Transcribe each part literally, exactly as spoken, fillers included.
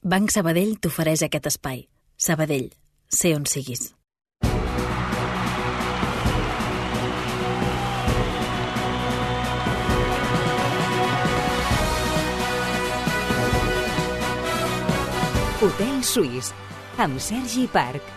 Banc Sabadell t'ofereix aquest espai. Sabadell, sé on siguis. Hotel Suís, amb Sergi Parc.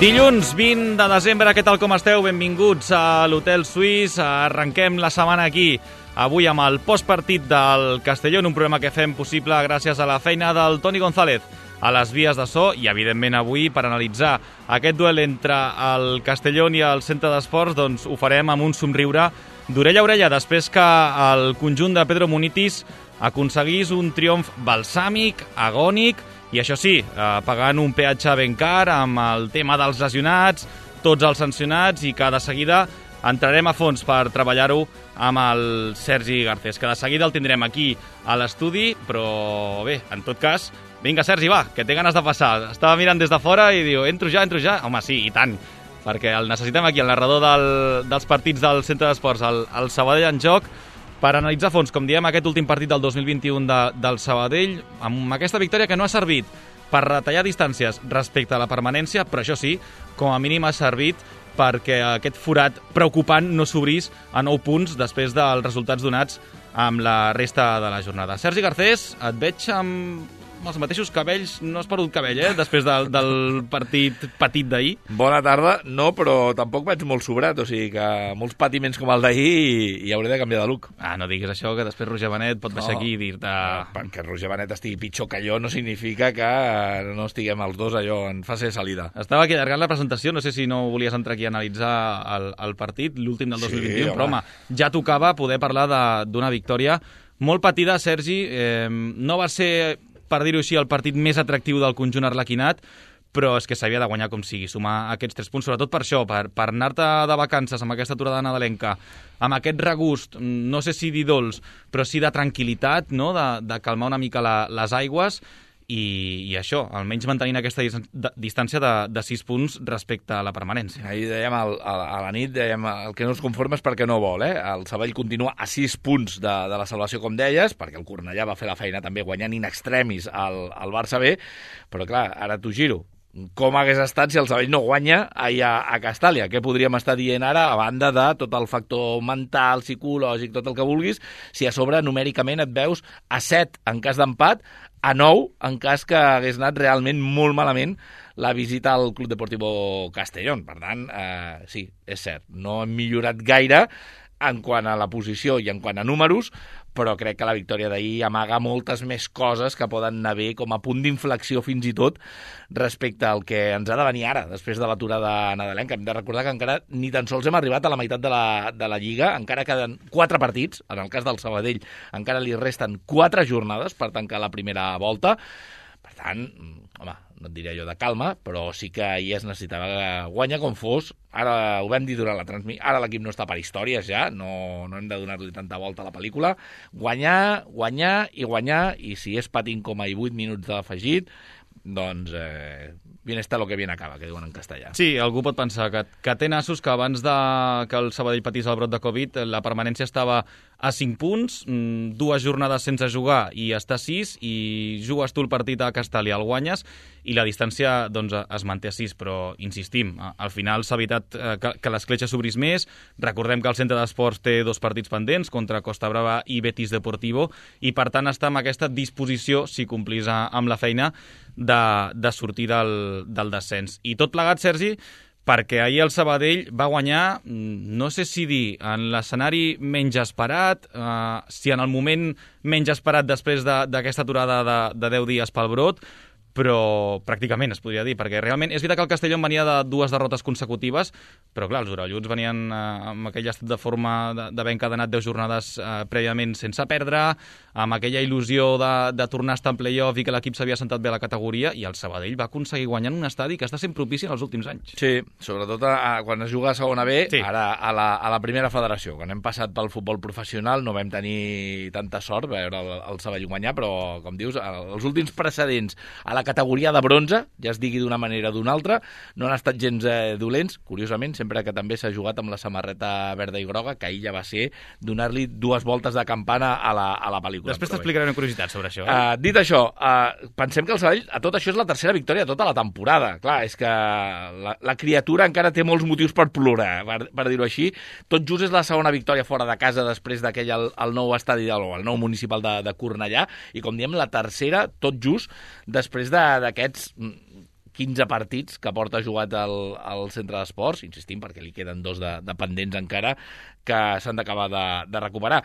Dilluns vint de desembre, què tal com esteu? Benvinguts a l'Hotel Suís. Arrenquem la setmana aquí, avui amb el postpartit del Castellón, un programa que fem possible gràcies a la feina del Toni González a les vies de so i, evidentment, avui per analitzar aquest duel entre el Castellón i el Centre d'Esports, doncs ho farem amb un somriure d'orella a orella, després que el conjunt de Pedro Munitis aconseguís un triomf balsàmic, agònic, i això sí, eh, pagant un peatge ben car amb el tema dels lesionats, tots els sancionats, i que de seguida entrarem a fons per treballar-ho amb el Sergi Garcés, que de seguida el tindrem aquí a l'estudi, però bé, en tot cas, vinga Sergi, va, que té ganes de passar. Estava mirant des de fora i diu, entro ja, entro ja. Home, sí, i tant, perquè el necessitem aquí, el narrador del, dels partits del Centre d'Esports, el, el Sabadell en joc, per analitzar a fons, com diem, aquest últim partit del dos mil vint-i-u de, del Sabadell, amb aquesta victòria que no ha servit per retallar distàncies respecte a la permanència, però això sí, com a mínim ha servit perquè aquest forat preocupant no s'obrís a nou punts després dels resultats donats amb la resta de la jornada. Sergi Garcés, et veig amb els mateixos cabells, no has perdut cabell, eh?, després del, del partit petit d'ahir. Bona tarda, no, però tampoc vaig molt sobrat, o sigui que molts patiments com el d'ahir i, i hauré de canviar de look. Ah, no diguis això, que després Roger Benet pot baixar no, aquí i dir-te... Perquè Roger Benet estigui pitjor que jo no significa que no estiguem els dos allò en fase de salida. Estava aquí allargant la presentació, no sé si no volies entrar aquí a analitzar el, el partit, l'últim del dos mil vint-i-u, sí, però home, ja tocava poder parlar d'una victòria molt patida, Sergi. Eh, no va ser, per dir-ho així, el partit més atractiu del conjunt arlequinat, però és que s'havia de guanyar com sigui, sumar aquests tres punts, sobretot per això, per, per anar-te de vacances amb aquesta aturada nadalenca, amb aquest regust, no sé si dir dolç, però sí de tranquil·litat, no?, de, de calmar una mica la, les aigües, i, i això, almenys mantenint aquesta distància de, de sis punts respecte a la permanència. Ahir dèiem, al, a, a la nit, dèiem, el que no es conforma és perquè no vol, eh? El Sabadell continua a sis punts de, de la salvació, com deies, perquè el Cornellà va fer la feina també guanyant in extremis al, al Barça B, però clar, ara t'ho giro. Com hagués estat si el Sabadell no guanya allà a Castàlia? Què podríem estar dient ara, a banda de tot el factor mental, psicològic, tot el que vulguis, si a sobre numèricament et veus a set en cas d'empat, a nou en cas que hagués anat realment molt malament la visita al Club Deportivo Castellón. Per tant, eh, sí, és cert, no hem millorat gaire en quant a la posició i en quant a números, però crec que la victòria d'ahir amaga moltes més coses que poden anar bé com a punt d'inflexió fins i tot respecte al que ens ha de venir ara, després de l'aturada nadalenca. Hem de recordar que encara ni tan sols hem arribat a la meitat de la, de la Lliga, encara queden quatre partits, en el cas del Sabadell encara li resten quatre jornades per tancar la primera volta. Per tant, home, no et diré allò de calma, però sí que ahir es necessitava guanyar com fos. Ara ho vam dir durant la transmissió, ara l'equip no està per històries ja, no, no hem de donar-li tanta volta a la pel·lícula. Guanyar, guanyar i guanyar, i si és patint com a vuit minuts d'afegit, doncs eh, bien está lo que bien acaba, que diuen en castellà. Sí, algú pot pensar que, que té nassos que abans de que el Sabadell patís el brot de Covid, la permanència estava a cinc punts, dues jornades sense jugar i està a sis, i jugues tu el partit a Castàlia, el guanyes, i la distància doncs, es manté a sis, però insistim, al final s'ha evitat que, que l'escletxa s'obrís més. Recordem que el Centre d'Esports té dos partits pendents contra Costa Brava i Betis Deportivo, i per tant està amb aquesta disposició, si complís amb la feina, de, de sortir del, del descens. I tot plegat, Sergi, perquè ahir el Sabadell va guanyar, no sé si dir, en l'escenari menys esperat, eh, si en el moment menys esperat després d'aquesta aturada de, de deu dies pel brot, però pràcticament es podria dir, perquè realment és veritat que el Castellón venia de dues derrotes consecutives, però clar, els orelluts venien eh, amb aquell estat de forma d'haver encadenat deu jornades eh, prèviament sense perdre, amb aquella il·lusió de, de tornar a estar en play-off i que l'equip s'havia sentat bé a la categoria, i el Sabadell va aconseguir guanyar en un estadi que està sent propici en els últims anys. Sí, sobretot a, a, quan es juga a segona B, sí. Ara a la, a la primera federació. Quan hem passat pel futbol professional no vam tenir tanta sort veure el, el Sabadell guanyar, però com dius, els últims precedents a la categoria de bronze, ja es digui d'una manera o d'una altra, no han estat gens eh, dolents, curiosament, sempre que també s'ha jugat amb la samarreta verda i groga, que ahir ja va ser donar-li dues voltes de campana a la, a la pel·lícula. Després t'explicaré una curiositat sobre això. Eh? Uh, dit això, uh, pensem que el Sabadell, a tot això, és la tercera victòria de tota la temporada. Clar, és que la, la criatura encara té molts motius per plorar, per, per dir-ho així. Tot just és la segona victòria fora de casa després d'aquell el, el nou estadi, del, el nou municipal de, de Cornellà, i com diem, la tercera, tot just, després d'aquests quinze partits que porta jugat al, al centre d'esports, insistim, perquè li queden dos de, de pendents encara, que s'han d'acabar de, de recuperar.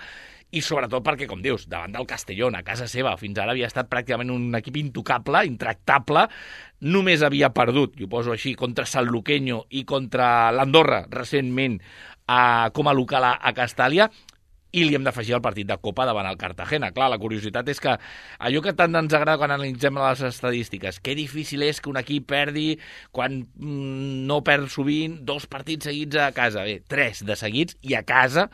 I sobretot perquè, com dius, davant del Castellón, a casa seva, fins ara havia estat pràcticament un equip intocable, intractable, només havia perdut, i ho poso així, contra Sanluqueño i contra l'Andorra, recentment, a, com a local a, a Castàlia, i li hem d'afegir el partit de Copa davant el Cartagena. Clar, la curiositat és que allò que tant ens agrada quan analitzem les estadístiques, que difícil és que un equip perdi quan mm, no perd sovint dos partits seguits a casa. Bé, tres de seguits i a casa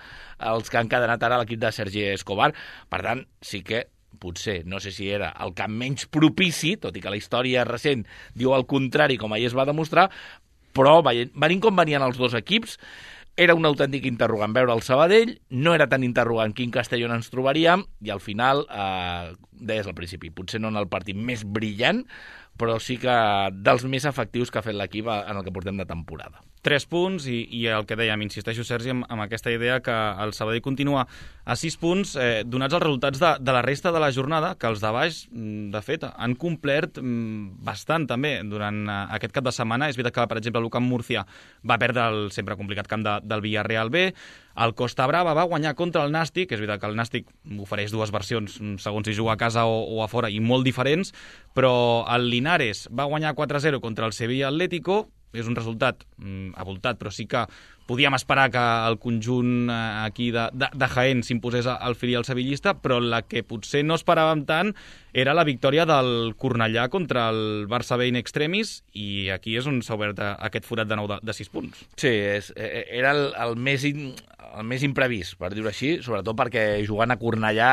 els que han cadenat ara l'equip de Sergi Escobar. Per tant, sí que potser, no sé si era el camp menys propici, tot i que la història recent diu el contrari, com ahir es va demostrar, però venint com venien els dos equips, era un autèntic interrogant veure el Sabadell, no era tan interrogant quin Castellón ens trobaríem, i al final, eh, deies al principi, potser no en el partit més brillant, però sí que dels més efectius que ha fet l'equip en el que portem de temporada. Tres punts i, i el que dèiem, insisteixo, Sergi, amb, amb aquesta idea que el Sabadell continua a sis punts, eh, donats els resultats de, de la resta de la jornada, que els de baix, de fet, han complert bastant també durant aquest cap de setmana. És veritat que, per exemple, l'U Camp Múrcia va perdre el sempre complicat camp de, del Villarreal B, el Costa Brava va guanyar contra el Nàstic, és veritat que el Nàstic ofereix dues versions, segons si juga a casa o, o a fora, i molt diferents, però el Linares va guanyar quatre a zero contra el Sevilla Atlético, és un resultat mm, avoltat, però sí que podíem esperar que el conjunt eh, aquí de, de, de Jaén s'imposés al filial sevillista, però la que potser no esperàvem tant era la victòria del Cornellà contra el Barça B in extremis, i aquí és on s'ha obert aquest forat de nou de, de sis punts. Sí, és, era el, el, més in, el més imprevist, per dir-ho així, sobretot perquè jugant a Cornellà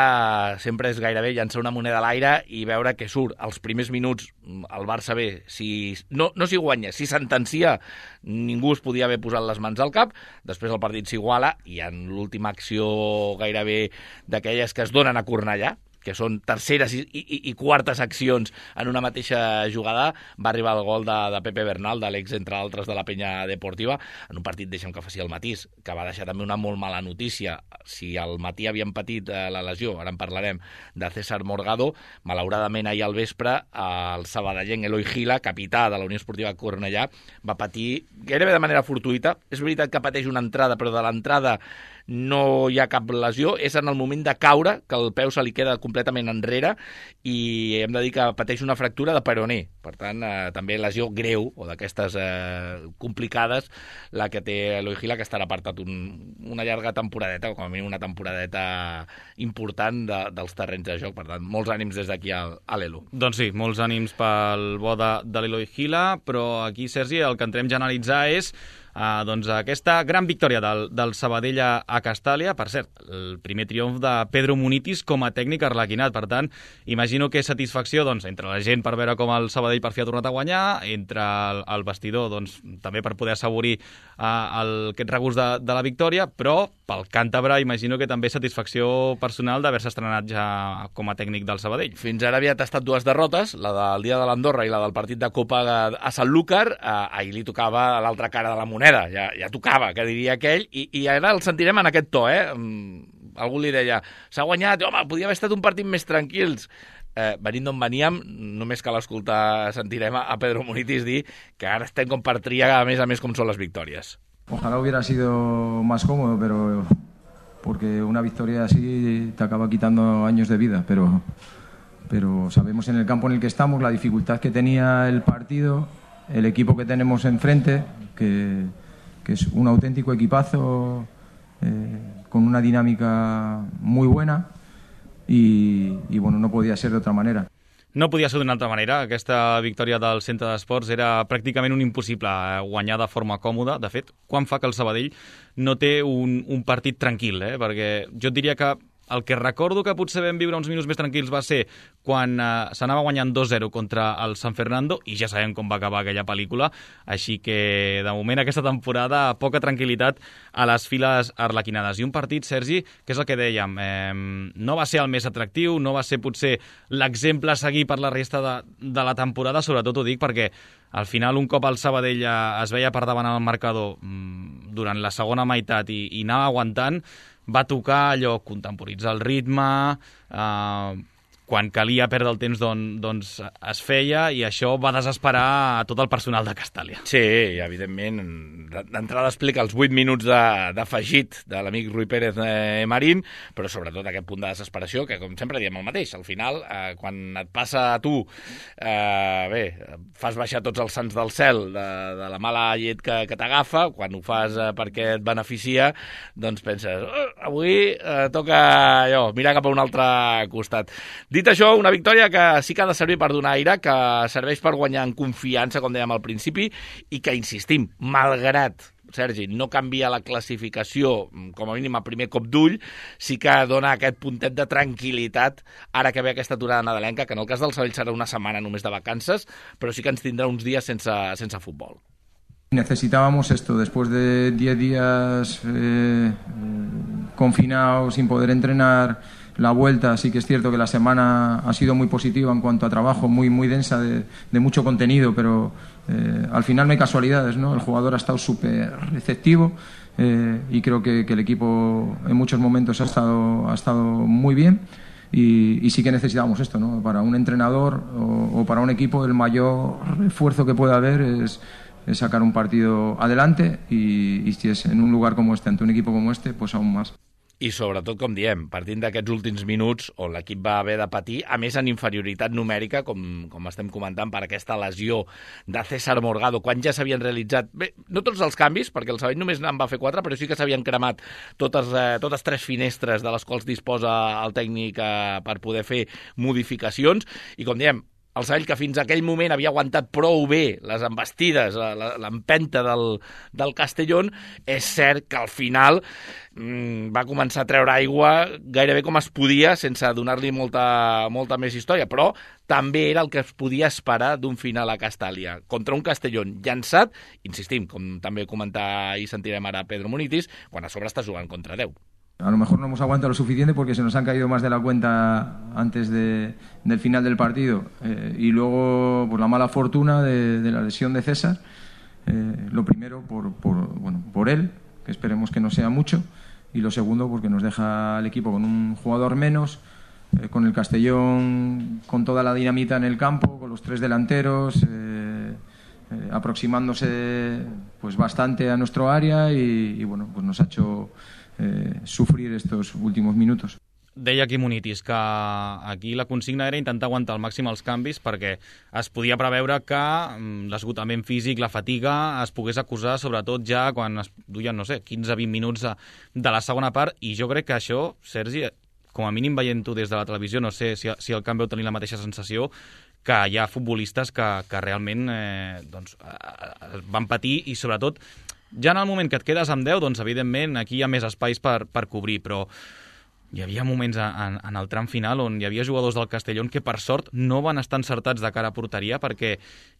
sempre és gairebé llançar una moneda a l'aire i veure què surt. Els primers minuts el Barça B, si, no, no s'hi guanya, si sentencia, ningú es podia haver posat les mans al cap, després el partit s'iguala i en l'última acció gairebé d'aquelles que es donen a Cornellà, que són terceres i, i, i quartes accions en una mateixa jugada, va arribar el gol de, de Pepe Bernal, de l'ex, entre altres, de la Penya Deportiva, en un partit, deixa'm que faci el matís, que va deixar també una molt mala notícia. Si al matí havien patit eh, la lesió, ara en parlarem, de César Morgado, malauradament ahir al vespre el sabadellenc Eloi Gila, capità de la Unió Esportiva Cornellà, va patir gairebé de manera fortuïta. És veritat que pateix una entrada, però de l'entrada no hi ha cap lesió, és en el moment de caure que el peu se li queda completament enrere i hem de dir que pateix una fractura de peroné. Per tant, eh, també lesió greu o d'aquestes eh, complicades la que té Eloi Gila, que estarà apartat un, una llarga temporadeta, o com a mínim una temporadeta important de, dels terrenys de joc. Per tant, molts ànims des d'aquí a, a l'Elo. Doncs sí, molts ànims pel bo de, de l'Eloi Gila, però aquí, Sergi, el que entrem ja a analitzar és Uh, doncs aquesta gran victòria del, del Sabadell a, a Castàlia. Per cert, el primer triomf de Pedro Munitis com a tècnic arlequinat. Per tant, imagino que satisfacció doncs, entre la gent per veure com el Sabadell per fi ha tornat a guanyar, entre el, el vestidor doncs, també per poder assaborir uh, el, aquest regust de, de la victòria, però pel càntabre imagino que també satisfacció personal d'haver-se estrenat ja com a tècnic del Sabadell. Fins ara havia tastat dues derrotes, la del dia de l'Andorra i la del partit de Copa a Sanlúcar. Uh, ahir li tocava a l'altra cara de la moneda. Ja, ja tocava, que diria aquell, i, i ara el sentirem en aquest to, eh? Algú li deia, s'ha guanyat, home, podia haver estat un partit més tranquils. Eh, venint d'on veníem, només cal escoltar, sentirem a Pedro Munitis dir que ara estem com per triar, a més a més, com són les victòries. Ojalá hubiera sido más cómodo, pero porque una victoria así te acaba quitando años de vida, pero, pero sabemos en el campo en el que estamos la dificultad que tenía el partido, el equipo que tenemos enfrente, que, que es un auténtico equipazo eh, con una dinámica muy buena y, y bueno, no podía ser de otra manera. No podia ser d'una altra manera. Aquesta victòria del centre d'esports era pràcticament un impossible guanyar de forma còmoda. De fet, quan fa que el Sabadell no té un, un partit tranquil, eh? Perquè jo et diria que el que recordo que potser vam viure uns minuts més tranquils va ser quan eh, s'anava guanyant dos zero contra el San Fernando, i ja sabem com va acabar aquella pel·lícula, així que de moment aquesta temporada poca tranquil·litat a les files arlequinades. I un partit, Sergi, que és el que dèiem, eh, no va ser el més atractiu, no va ser potser l'exemple a seguir per la resta de, de la temporada, sobretot ho dic perquè al final un cop el Sabadell es veia per davant al marcador mmm, durant la segona meitat i, i anava aguantant, va tocar allò, contemporitzar el ritme, eh, quan calia perdre el temps don, doncs es feia, i això va desesperar a tot el personal de Castàlia. Sí, evidentment, d'entrada explica els vuit minuts d'afegit de, de l'amic Rui Pérez eh, Marín, però sobretot aquest punt de desesperació, que com sempre diem el mateix, al final, eh, quan et passa a tu, eh, bé, fas baixar tots els sants del cel de, de la mala llet que, que t'agafa, quan ho fas eh, perquè et beneficia, doncs penses, oh, avui eh, toca allò, mirar cap a un altre costat. Dit això, una victòria que sí que ha de servir per donar aire, que serveix per guanyar en confiança, com dèiem al principi, i que, insistim, malgrat, Sergi, no canvia la classificació, com a mínim a primer cop d'ull, sí que dona aquest puntet de tranquil·litat ara que ve aquesta aturada nadalenca, que en el cas del Sabadell serà una setmana només de vacances, però sí que ens tindrà uns dies sense, sense futbol. Necesitábamos esto, después de diez días eh, confinados, sin poder entrenar. La vuelta, sí que es cierto que la semana ha sido muy positiva en cuanto a trabajo, muy, muy densa, de, de mucho contenido, pero eh, al final no hay casualidades, ¿no? El jugador ha estado súper receptivo eh, y creo que, que el equipo en muchos momentos ha estado, ha estado muy bien, y, y sí que necesitamos esto, ¿no? Para un entrenador o, o para un equipo el mayor esfuerzo que pueda haber es, es sacar un partido adelante, y, y si es en un lugar como este, ante un equipo como este, pues aún más. I sobretot, com diem, partint d'aquests últims minuts on l'equip va haver de patir, a més en inferioritat numèrica, com, com estem comentant, per aquesta lesió de César Morgado, quan ja s'havien realitzat, bé, no tots els canvis, perquè el Sabadell només en va fer quatre, però sí que s'havien cremat totes, eh, totes tres finestres de les quals disposa el tècnic eh, per poder fer modificacions, i com diem, el Sabadell, que fins a aquell moment havia aguantat prou bé les embestides, l'empenta del, del Castellón, és cert que al final mmm, va començar a treure aigua gairebé com es podia, sense donar-li molta, molta més història, però també era el que es podia esperar d'un final a Castàlia, contra un Castellón llançat, insistim, com també comentar i sentirem ara Pedro Munitis, quan a sobre està jugant contra deu. A lo mejor no hemos aguantado lo suficiente porque se nos han caído más de la cuenta antes de, del final del partido, eh, y luego por la mala fortuna de, de la lesión de César, eh, lo primero por, por, bueno, por él, que esperemos que no sea mucho, y lo segundo porque nos deja al equipo con un jugador menos, eh, con el Castellón con toda la dinamita en el campo, con los tres delanteros, eh, eh, aproximándose pues bastante a nuestro área, y, y bueno, pues nos ha hecho Eh, sufrir estos últimos minutos. Deia aquí Munitis que aquí la consigna era intentar aguantar al màxim els canvis perquè es podia preveure que l'esgotament físic, la fatiga, es pogués acusar sobretot ja quan es duien, no sé, quinze a vint minuts de, de la segona part, i jo crec que això, Sergi, com a mínim veient-ho des de la televisió, no sé si, si el camp veu tenir la mateixa sensació, que hi ha futbolistes que, que realment eh, doncs, eh, van patir, i sobretot ja en el moment que et quedes amb deu, doncs evidentment aquí hi ha més espais per, per cobrir, però hi havia moments en, en el tram final on hi havia jugadors del Castellón que per sort no van estar encertats de cara a porteria, perquè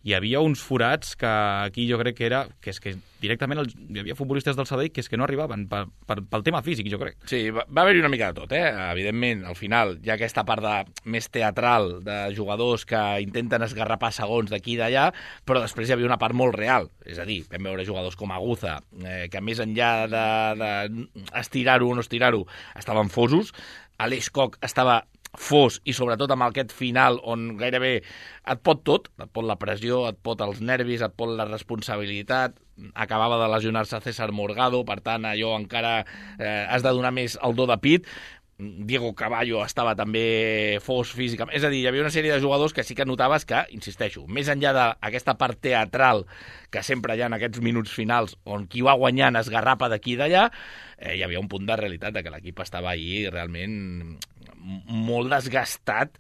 hi havia uns forats que aquí jo crec que era que és que directament el, hi havia futbolistes del Sabadell que és que no arribaven per, per, pel tema físic, jo crec. Sí, va, va haver-hi una mica de tot, eh? Evidentment, al final hi ha aquesta part de, més teatral de jugadors que intenten esgarrapar segons d'aquí i d'allà, però després hi havia una part molt real, és a dir, vam veure jugadors com Aguza, eh, que més enllà de, de estirar-ho o no estirar-ho, estaven fosos. Aleix Koch estava fos, i sobretot amb aquest final on gairebé et pot tot, et pot la pressió, et pot els nervis, et pot la responsabilitat. Acabava de lesionar-se César Morgado, per tant allò encara eh, has de donar més el do de pit. Diego Caballo estava també fos físicament, és a dir, hi havia una sèrie de jugadors que sí que notaves que, insisteixo, més enllà d'aquesta part teatral que sempre hi ha en aquests minuts finals on qui va guanyant esgarrapa d'aquí i d'allà, eh, hi havia un punt de realitat de que l'equip estava ahir realment molt desgastat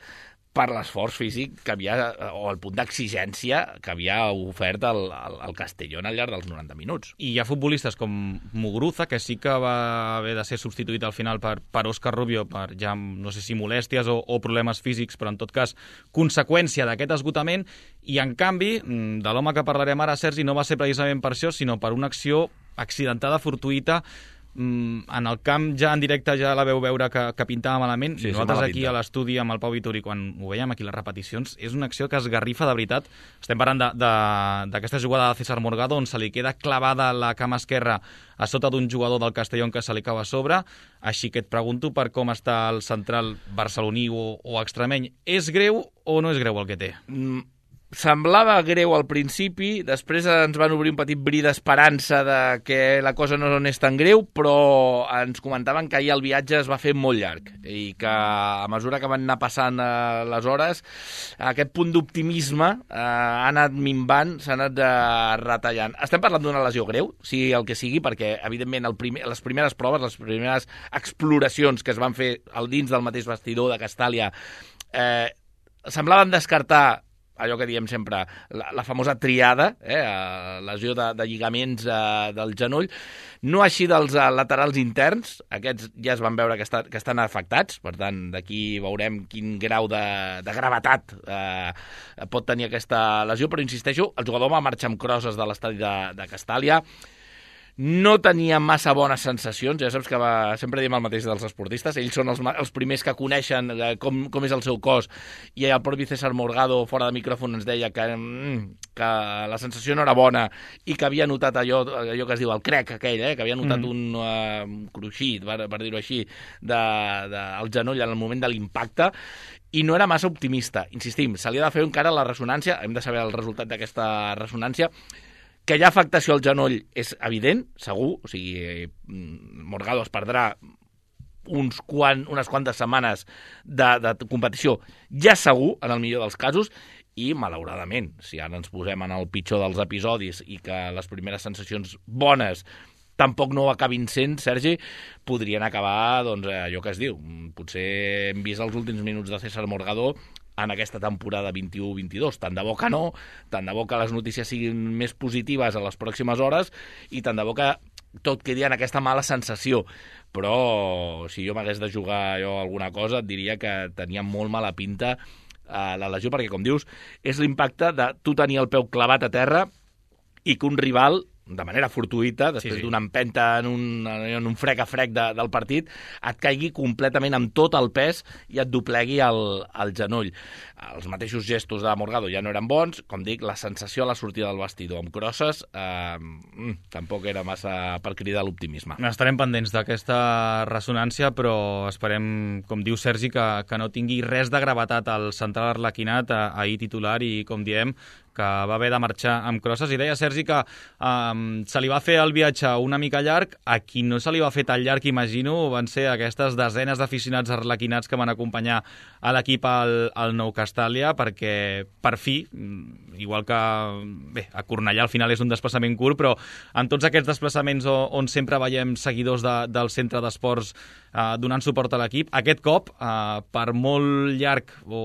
per l'esforç físic que havia, o el punt d'exigència que havia ofert el, el, el Castellón al llarg dels noranta minuts. I hi ha futbolistes com Muguruza, que sí que va haver de ser substituït al final per, per Óscar Rubio, per ja, no sé si molèsties o, o problemes físics, però en tot cas, conseqüència d'aquest esgotament, i en canvi, de l'home que parlarem ara, Sergi, no va ser precisament per això, sinó per una acció accidentada, fortuïta, en el camp ja en directe ja la veu veure que, que pintava malament, sí, i nosaltres aquí a l'estudi amb el Pau Vituri, quan ho veiem aquí les repeticions, és una acció que es garrifa de veritat. Estem parlant d'aquesta jugada de César Morgado, on se li queda clavada la cama esquerra a sota d'un jugador del Castellón que se li cau a sobre. Així que et pregunto per com està el central barceloní o, o extremeny. És greu o no és greu el que té? Mm. Semblava greu al principi, després ens van obrir un petit bri d'esperança de que la cosa no és tan greu, però ens comentaven que ahir el viatge es va fer molt llarg i que a mesura que van anar passant eh, les hores, aquest punt d'optimisme eh, ha anat minvant, s'ha anat eh, retallant. Estem parlant d'una lesió greu, sigui el que sigui, perquè evidentment el primer, les primeres proves, les primeres exploracions que es van fer al dins del mateix vestidor de Castàlia eh, semblaven descartar allò que diem sempre, la, la famosa triada, eh, lesió de, de lligaments eh, del genoll, no així dels eh, laterals interns, aquests ja es van veure que, està, que estan afectats, per tant, d'aquí veurem quin grau de, de gravetat eh, pot tenir aquesta lesió, però insisteixo, el jugador va marxar amb crosses de l'estadi de, de Castàlia, no tenia massa bones sensacions, ja saps que va, sempre diem el mateix dels esportistes, ells són els, els primers que coneixen eh, com, com és el seu cos, i el propi César Morgado, fora de micròfon, ens deia que, mm, que la sensació no era bona i que havia notat allò, allò que es diu el crec aquell, eh, que havia notat mm. un uh, cruixit, per, per dir-ho així, de, de, al genoll en el moment de l'impacte, i no era massa optimista. Insistim, se li ha de fer encara la ressonància, hem de saber el resultat d'aquesta ressonància. Que hi ha afectació al genoll és evident, segur, o sigui, Morgado es perdrà uns quan, unes quantes setmanes de, de competició, ja segur, en el millor dels casos, i malauradament, si ara ens posem en el pitjor dels episodis i que les primeres sensacions bones tampoc no ho acabin sent, Sergi, podrien acabar, doncs, allò que es diu. Potser hem vist els últims minuts de César Morgado en aquesta temporada vint-i-u vint-i-dos. Tant de bo que no, tant de bo que les notícies siguin més positives a les pròximes hores i tant de bo que tot quedi en aquesta mala sensació. Però si jo m'hagués de jugar jo alguna cosa, et diria que tenia molt mala pinta eh, la lesió, perquè, com dius, és l'impacte de tu tenir el peu clavat a terra i que un rival, de manera fortuïta, després sí, sí. d'una empenta en un, en un frec a frec de, del partit, et caigui completament amb tot el pes i et doblegui el, el genoll. Els mateixos gestos de Morgado ja no eren bons, com dic, la sensació a la sortida del vestidor amb crosses eh, tampoc era massa per cridar l'optimisme. Estarem pendents d'aquesta ressonància, però esperem, com diu Sergi, que, que no tingui res de gravetat al central arlequinat, ahir titular, i com diem, que va haver de marxar amb crosses. I deia Sergi que um, se li va fer el viatge una mica llarg. A qui no se li va fer tan llarg, imagino, van ser aquestes desenes d'aficionats arlequinats que van acompanyar a l'equip al, al Nou Castàlia, perquè per fi, igual que bé, a Cornellà al final és un desplaçament curt, però en tots aquests desplaçaments on, on sempre veiem seguidors de, del centre d'esports eh, donant suport a l'equip, aquest cop, eh, per molt llarg o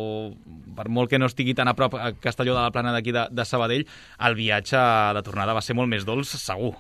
per molt que no estigui tan a prop a Castelló de la Plana d'aquí de, de Sabadell, el viatge de tornada va ser molt més dolç, segur.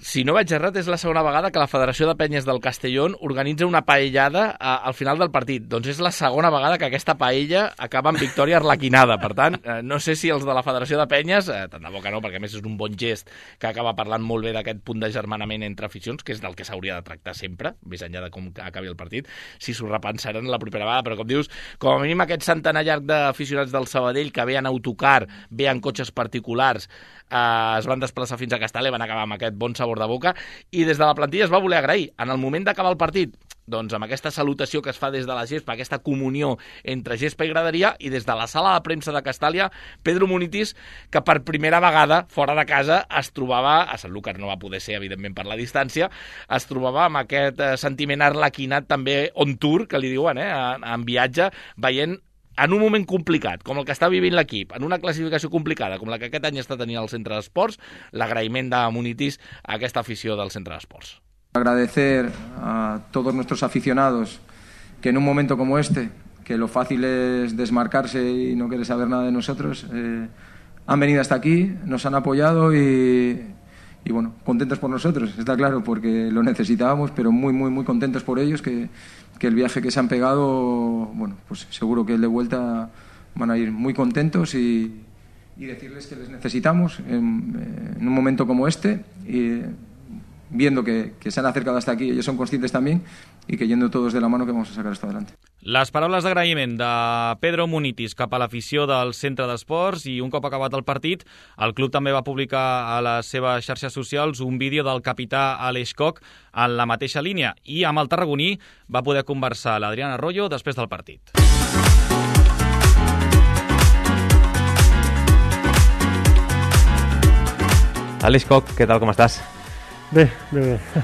Si no vaig errat, és la segona vegada que la Federació de Penyes del Castellón organitza una paellada a, al final del partit. Doncs és la segona vegada que aquesta paella acaba amb victòria arlequinada. Per tant, eh, no sé si els de la Federació de Penyes, eh, tant de bo que no, perquè a més és un bon gest que acaba parlant molt bé d'aquest punt d'agermanament entre aficions, que és del que s'hauria de tractar sempre, més enllà de com acabi el partit, si s'ho repensaran la propera vegada. Però com dius, com a mínim aquest centenar llarg d'aficionats del Sabadell que ve en autocar, ve en cotxes particulars, eh, es van desplaçar fins a Castàlia, van acabar amb aquest bon sabor de boca, i des de la plantilla es va voler agrair. En el moment d'acabar el partit, doncs amb aquesta salutació que es fa des de la gespa, aquesta comunió entre gespa i graderia, i des de la sala de premsa de Castàlia, Pedro Munitis, que per primera vegada, fora de casa, es trobava, a Sanlúcar no va poder ser, evidentment, per la distància, es trobava amb aquest eh, sentiment arlequinat també on tour, que li diuen, eh, en, en viatge, veient en un moment complicat, com el que està vivint l'equip, en una classificació complicada, com la que aquest any està tenint el Centre d'Esports, l'agraïment de Munitis a aquesta afició del Centre d'Esports. Agradecer a todos nuestros aficionados que en un momento como este, que lo fácil es desmarcarse y no querer saber nada de nosotros. Eh, han venido hasta aquí, nos han apoyado y, y bueno, contentos por nosotros, está claro, porque lo necesitábamos, pero muy, muy, muy contentos por ellos, que, que el viaje que se han pegado, bueno, pues seguro que el de vuelta van a ir muy contentos y, y decirles que les necesitamos en, en un momento como este, y viendo que, que se han acercado hasta aquí, ellos son conscientes también, y que yendo todos de la mano que vamos a sacar esto adelante. Les paraules d'agraïment de Pedro Munitis cap a l'afició del Centre d'Esports, i un cop acabat el partit, el club també va publicar a les seves xarxes socials un vídeo del capità Aleix Koch en la mateixa línia, i amb el tarragoní va poder conversar l'Adrián Arroyo després del partit. Aleix Koch, què tal, com estàs? Bé, bé, bé.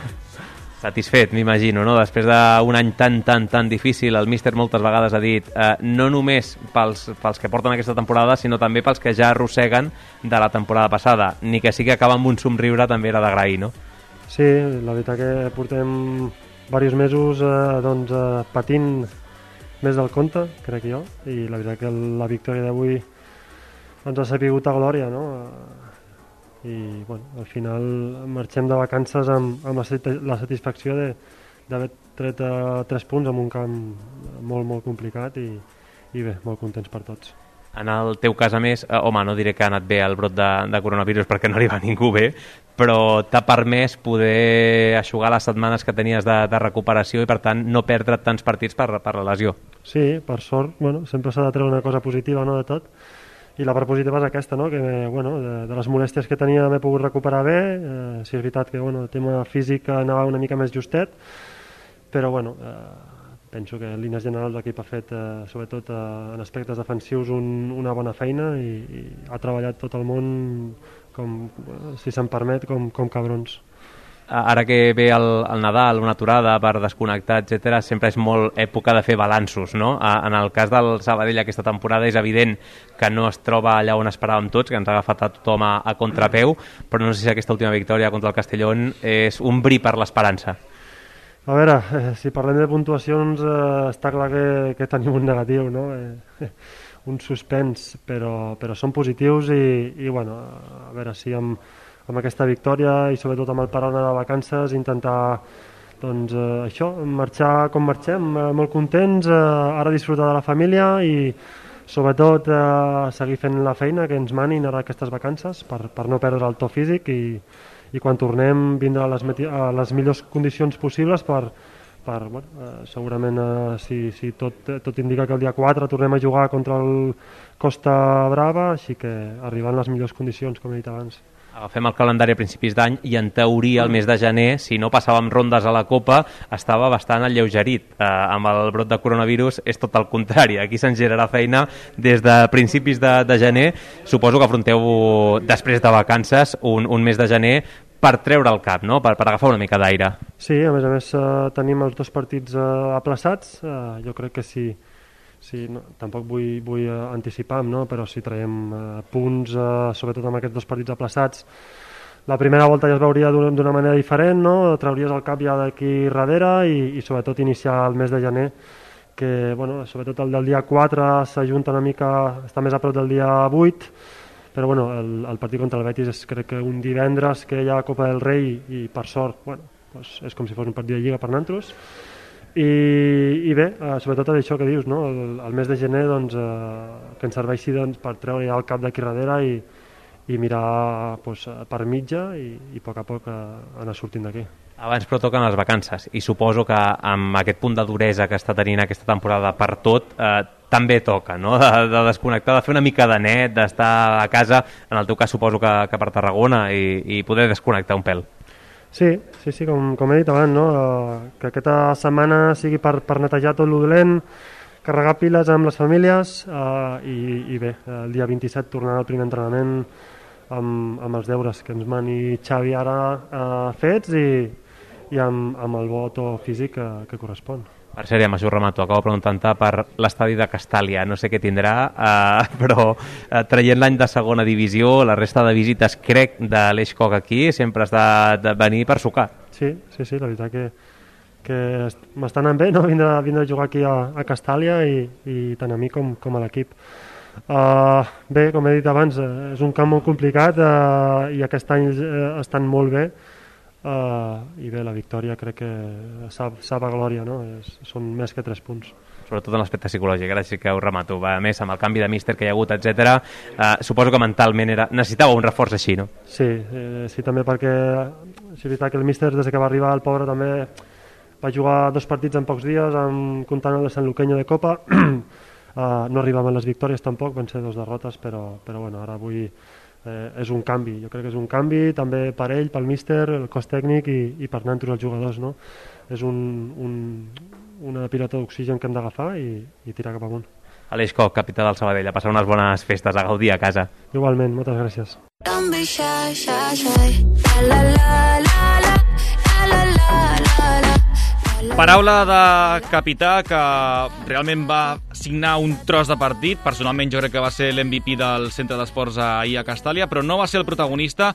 Satisfet, m'imagino, no? Després d'un any tan, tan, tan difícil, el míster moltes vegades ha dit eh, no només pels, pels que porten aquesta temporada, sinó també pels que ja arrosseguen de la temporada passada. Ni que sigui acabar amb un somriure també era d'agrair, no? Sí, la veritat que portem diversos mesos eh, doncs, eh, patint més del compte, crec jo, i la veritat que la victòria d'avui ens ha sapigut a glòria, no? I bueno, al final marxem de vacances amb, amb la satisfacció d'haver tret uh, tres punts en un camp molt, molt complicat i, i bé, molt contents per tots. En el teu cas, a més, eh, home, no diré que ha anat bé el brot de, de coronavirus perquè no arriba ningú bé, però t'ha permès poder eixugar les setmanes que tenies de, de recuperació i, per tant, no perdre tants partits per, per la lesió. Sí, per sort, bueno, sempre s'ha de treure una cosa positiva, no, de tot. I la part positiva és aquesta, no? Que bueno, de, de les molèsties que tenia m'he pogut recuperar bé, eh, sí és veritat que bueno, el tema físic anava una mica més justet, però bueno, eh, penso que en línies generals l'equip ha fet, eh, sobretot eh, en aspectes defensius, un, una bona feina i, i ha treballat tot el món, com, si se'm permet, com, com cabrons. Ara que ve el, el Nadal, una aturada per desconnectar, etcètera, sempre és molt època de fer balanços, no? En el cas del Sabadell aquesta temporada és evident que no es troba allà on esperàvem tots, que ens ha agafat a tothom a, a contrapeu, però no sé si aquesta última victòria contra el Castellón és un bri per l'esperança. A veure, eh, si parlem de puntuacions, eh, està clar que, que tenim un negatiu, no? Eh, un suspens, però, però són positius i, i bueno, a veure si amb amb aquesta victòria i sobretot amb el parón de vacances intentar doncs, eh, això, marxar com marxem, eh, molt contents, eh, ara disfrutar de la família i sobretot eh, seguir fent la feina que ens manin ara aquestes vacances per, per no perdre el to físic i, i quan tornem vindre a les, a les millors condicions possibles per, per bueno, eh, segurament eh, si, si tot, tot indica que el dia quatre tornem a jugar contra el Costa Brava, així que arribar en les millors condicions, com he dit abans. Agafem el calendari a principis d'any i en teoria el mes de gener, si no passàvem rondes a la Copa, estava bastant alleugerit. Eh, amb el brot de coronavirus és tot el contrari. Aquí se'ns generarà feina des de principis de, de gener. Suposo que afronteu després de vacances un, un mes de gener per treure el cap, no? per, per agafar una mica d'aire. Sí, a més a més eh, tenim els dos partits eh, aplaçats. Eh, jo crec que sí. Sí, no, tampoc vull, vull uh, anticipar, no? Però si traiem uh, punts, uh, sobretot amb aquests dos partits aplaçats, la primera volta ja es veuria d'una manera diferent, no? Trauries el cap ja d'aquí darrere i, i sobretot iniciar el mes de gener, que bueno, sobretot el del dia quatre s'ajunta una mica, està més a prop del dia vuit, però bueno, el, el partit contra el Betis és crec que un divendres que hi ha Copa del Rei i per sort, bueno, doncs és com si fos un partit de Lliga per nosaltres. I, i bé, eh, sobretot això que dius, no? el, el mes de gener doncs, eh, que ens serveixi doncs, per treure ja el cap d'aquí darrere i, i mirar doncs, per mitja i, i a poc a poc eh, anar sortint d'aquí. Abans però toquen les vacances i suposo que amb aquest punt de duresa que està tenint aquesta temporada per tot eh, també toca, no? de, de desconnectar, de fer una mica de net, d'estar a casa, en el teu cas suposo que, que per Tarragona i, i poder desconnectar un pèl. Sí, sí, sí, com, com he dit abans, no? Que aquesta setmana sigui per, per netejar tot lo dolent, carregar piles amb les famílies eh, i, i bé, el dia vint-i-set tornar al primer entrenament amb, amb els deures que ens mani Xavi ara eh, fets i, i amb, amb el bo to físic que, que correspon. Per cert, ja m'això remato, acabo preguntant-te per l'estadi de Castàlia, no sé què tindrà, eh, però eh, traient l'any de segona divisió, la resta de visites, crec, de l'Eix Koch aquí, sempre has de, de venir per sucar. Sí, sí, sí, la veritat que, que m'està anant bé, no? vindre, vindre a jugar aquí a, a Castàlia i, i tant a mi com, com a l'equip. Uh, bé, com he dit abans, uh, és un camp molt complicat uh, i aquest any uh, estan molt bé uh, i bé, la victòria crec que sap, sap a glòria, no? És, són més que tres punts. Sobretot en l'aspecte psicològic, ara sí que ho remato. A més, amb el canvi de míster que hi ha hagut, etcètera, eh, suposo que mentalment era... necessitava un reforç així, no? Sí, eh, sí també perquè és veritat que el míster des que va arribar el pobre també va jugar dos partits en pocs dies, amb, comptant el de Sant Luqueño de Copa. uh, no arribaven les victòries tampoc, van ser dos derrotes, però, però bueno, ara avui eh, és un canvi. Jo crec que és un canvi també per ell, pel míster, el cos tècnic i, i per nosaltres els jugadors, no? És un, un, una pilota d'oxigen que hem d'agafar i, i tirar cap amunt. Aleix Coc, capità del Sabadell, a passar unes bones festes, a gaudir a casa. Igualment, moltes gràcies. Paraula de capità que realment va signar un tros de partit. Personalment jo crec que va ser l'M V P del centre d'esports ahir a Castàlia, però no va ser el protagonista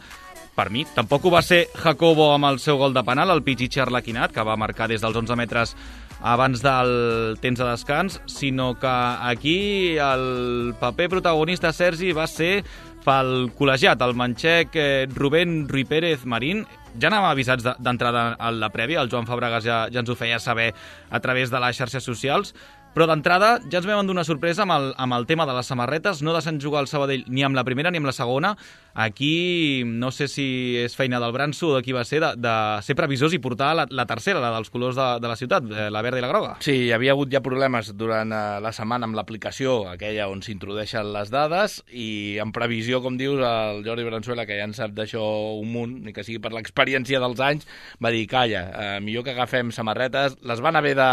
per mi. Tampoc ho va ser Jacobo amb el seu gol de penal, el Pichichi Arlequinat, que va marcar des dels onze metres abans del temps de descans, sinó que aquí el paper protagonista, Sergi, va ser pel col·legiat, el manxec eh, Rubén Rui Pérez Marín. Ja anàvem avisats d'entrada a la prèvia, el Joan Fabregas ja, ja ens ho feia saber a través de les xarxes socials, però d'entrada ja ens vam endur una sorpresa amb el, amb el tema de les samarretes. No deixen jugar el Sabadell ni amb la primera ni amb la segona. Aquí no sé si és feina del Branso o de qui va ser, de, de ser previsors i portar la, la tercera, la dels colors de, de la ciutat, la verda i la groga. Sí, hi havia hagut ja problemes durant uh, la setmana amb l'aplicació, aquella on s'introdueixen les dades, i en previsió, com dius, el Jordi Bransuela, que ja en sap d'això un munt, ni que sigui per l'experiència dels anys, va dir, calla, uh, millor que agafem samarretes. Les van haver de,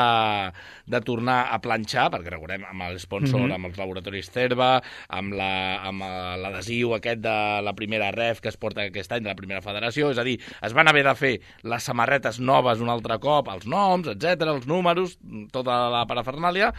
de tornar a planxar, perquè recordem, amb l'esponsor, mm-hmm. amb els laboratoris Cerva, amb l'adhesiu la, aquest de la primera ref que es porta aquest any de la primera federació, és a dir, es van haver de fer les samarretes noves un altre cop, els noms, etcètera, els números, tota la parafernàlia,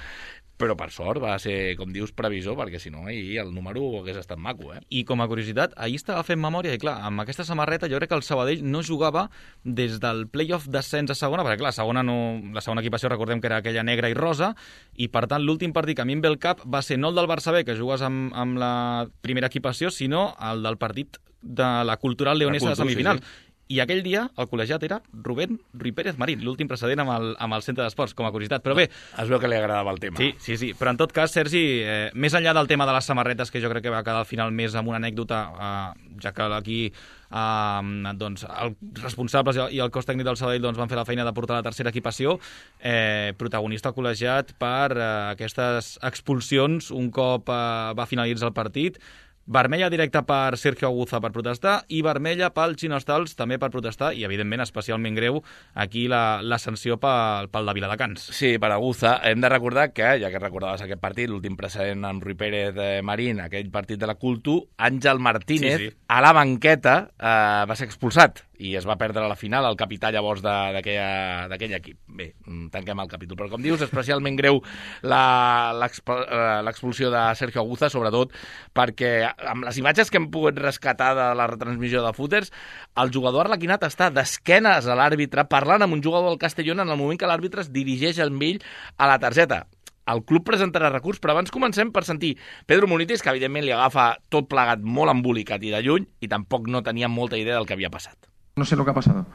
però per sort va ser, com dius, previsor, perquè si no ahir el número hagués estat maco, eh? I com a curiositat, ahir estava fent memòria i clar, amb aquesta samarreta jo crec que el Sabadell no jugava des del play-off d'ascens a segona, perquè clar, segona no, la segona equipació recordem que era aquella negra i rosa, i per tant l'últim partit que a mi em ve el cap va ser no el del Barça B, que jugues amb, amb la primera equipació, sinó el del partit de la Cultural Leonesa de semifinal. Sí, sí. I aquell dia el col·legiat era Rubén Rui Pérez Marín, l'últim precedent amb el, amb el centre d'esports, com a curiositat. Però bé... Es veu que li agradava el tema. Sí, sí, sí. Però en tot cas, Sergi, eh, més enllà del tema de les samarretes, que jo crec que va quedar al final més amb una anècdota, eh, ja que aquí eh, doncs, els responsables i el cos tècnic del Sabadell doncs, van fer la feina de portar la tercera equipació, eh, protagonista col·legiat per eh, aquestes expulsions un cop eh, va finalitzar el partit. Vermella directa per Sergio Aguza per protestar i vermella pel Chino Stals també per protestar i, evidentment, especialment greu aquí la, la sanció pel, pel de Viladecans. Sí, per Aguza. Hem de recordar que, ja que recordaves aquest partit, l'últim precedent amb Rui Pérez eh, Marín, aquell partit de la Cultu, Àngel Martínez, sí, sí. a la banqueta, eh, va ser expulsat i es va perdre a la final el capità llavors d'aquell equip. Bé, tanquem el capítol. Però com dius, especialment greu l'expulsió de Sergio Aguza, sobretot perquè amb les imatges que hem pogut rescatar de la retransmissió de Footers, el jugador arlequinat està d'esquenes a l'àrbitre parlant amb un jugador del Castellón en el moment que l'àrbitre es dirigeix amb ell a la targeta. El club presentarà recurs, però abans comencem per sentir Pedro Munitis, que evidentment li agafa tot plegat molt embolicat i de lluny, i tampoc no tenia molta idea del que havia passat. No sé lo que ha pasado,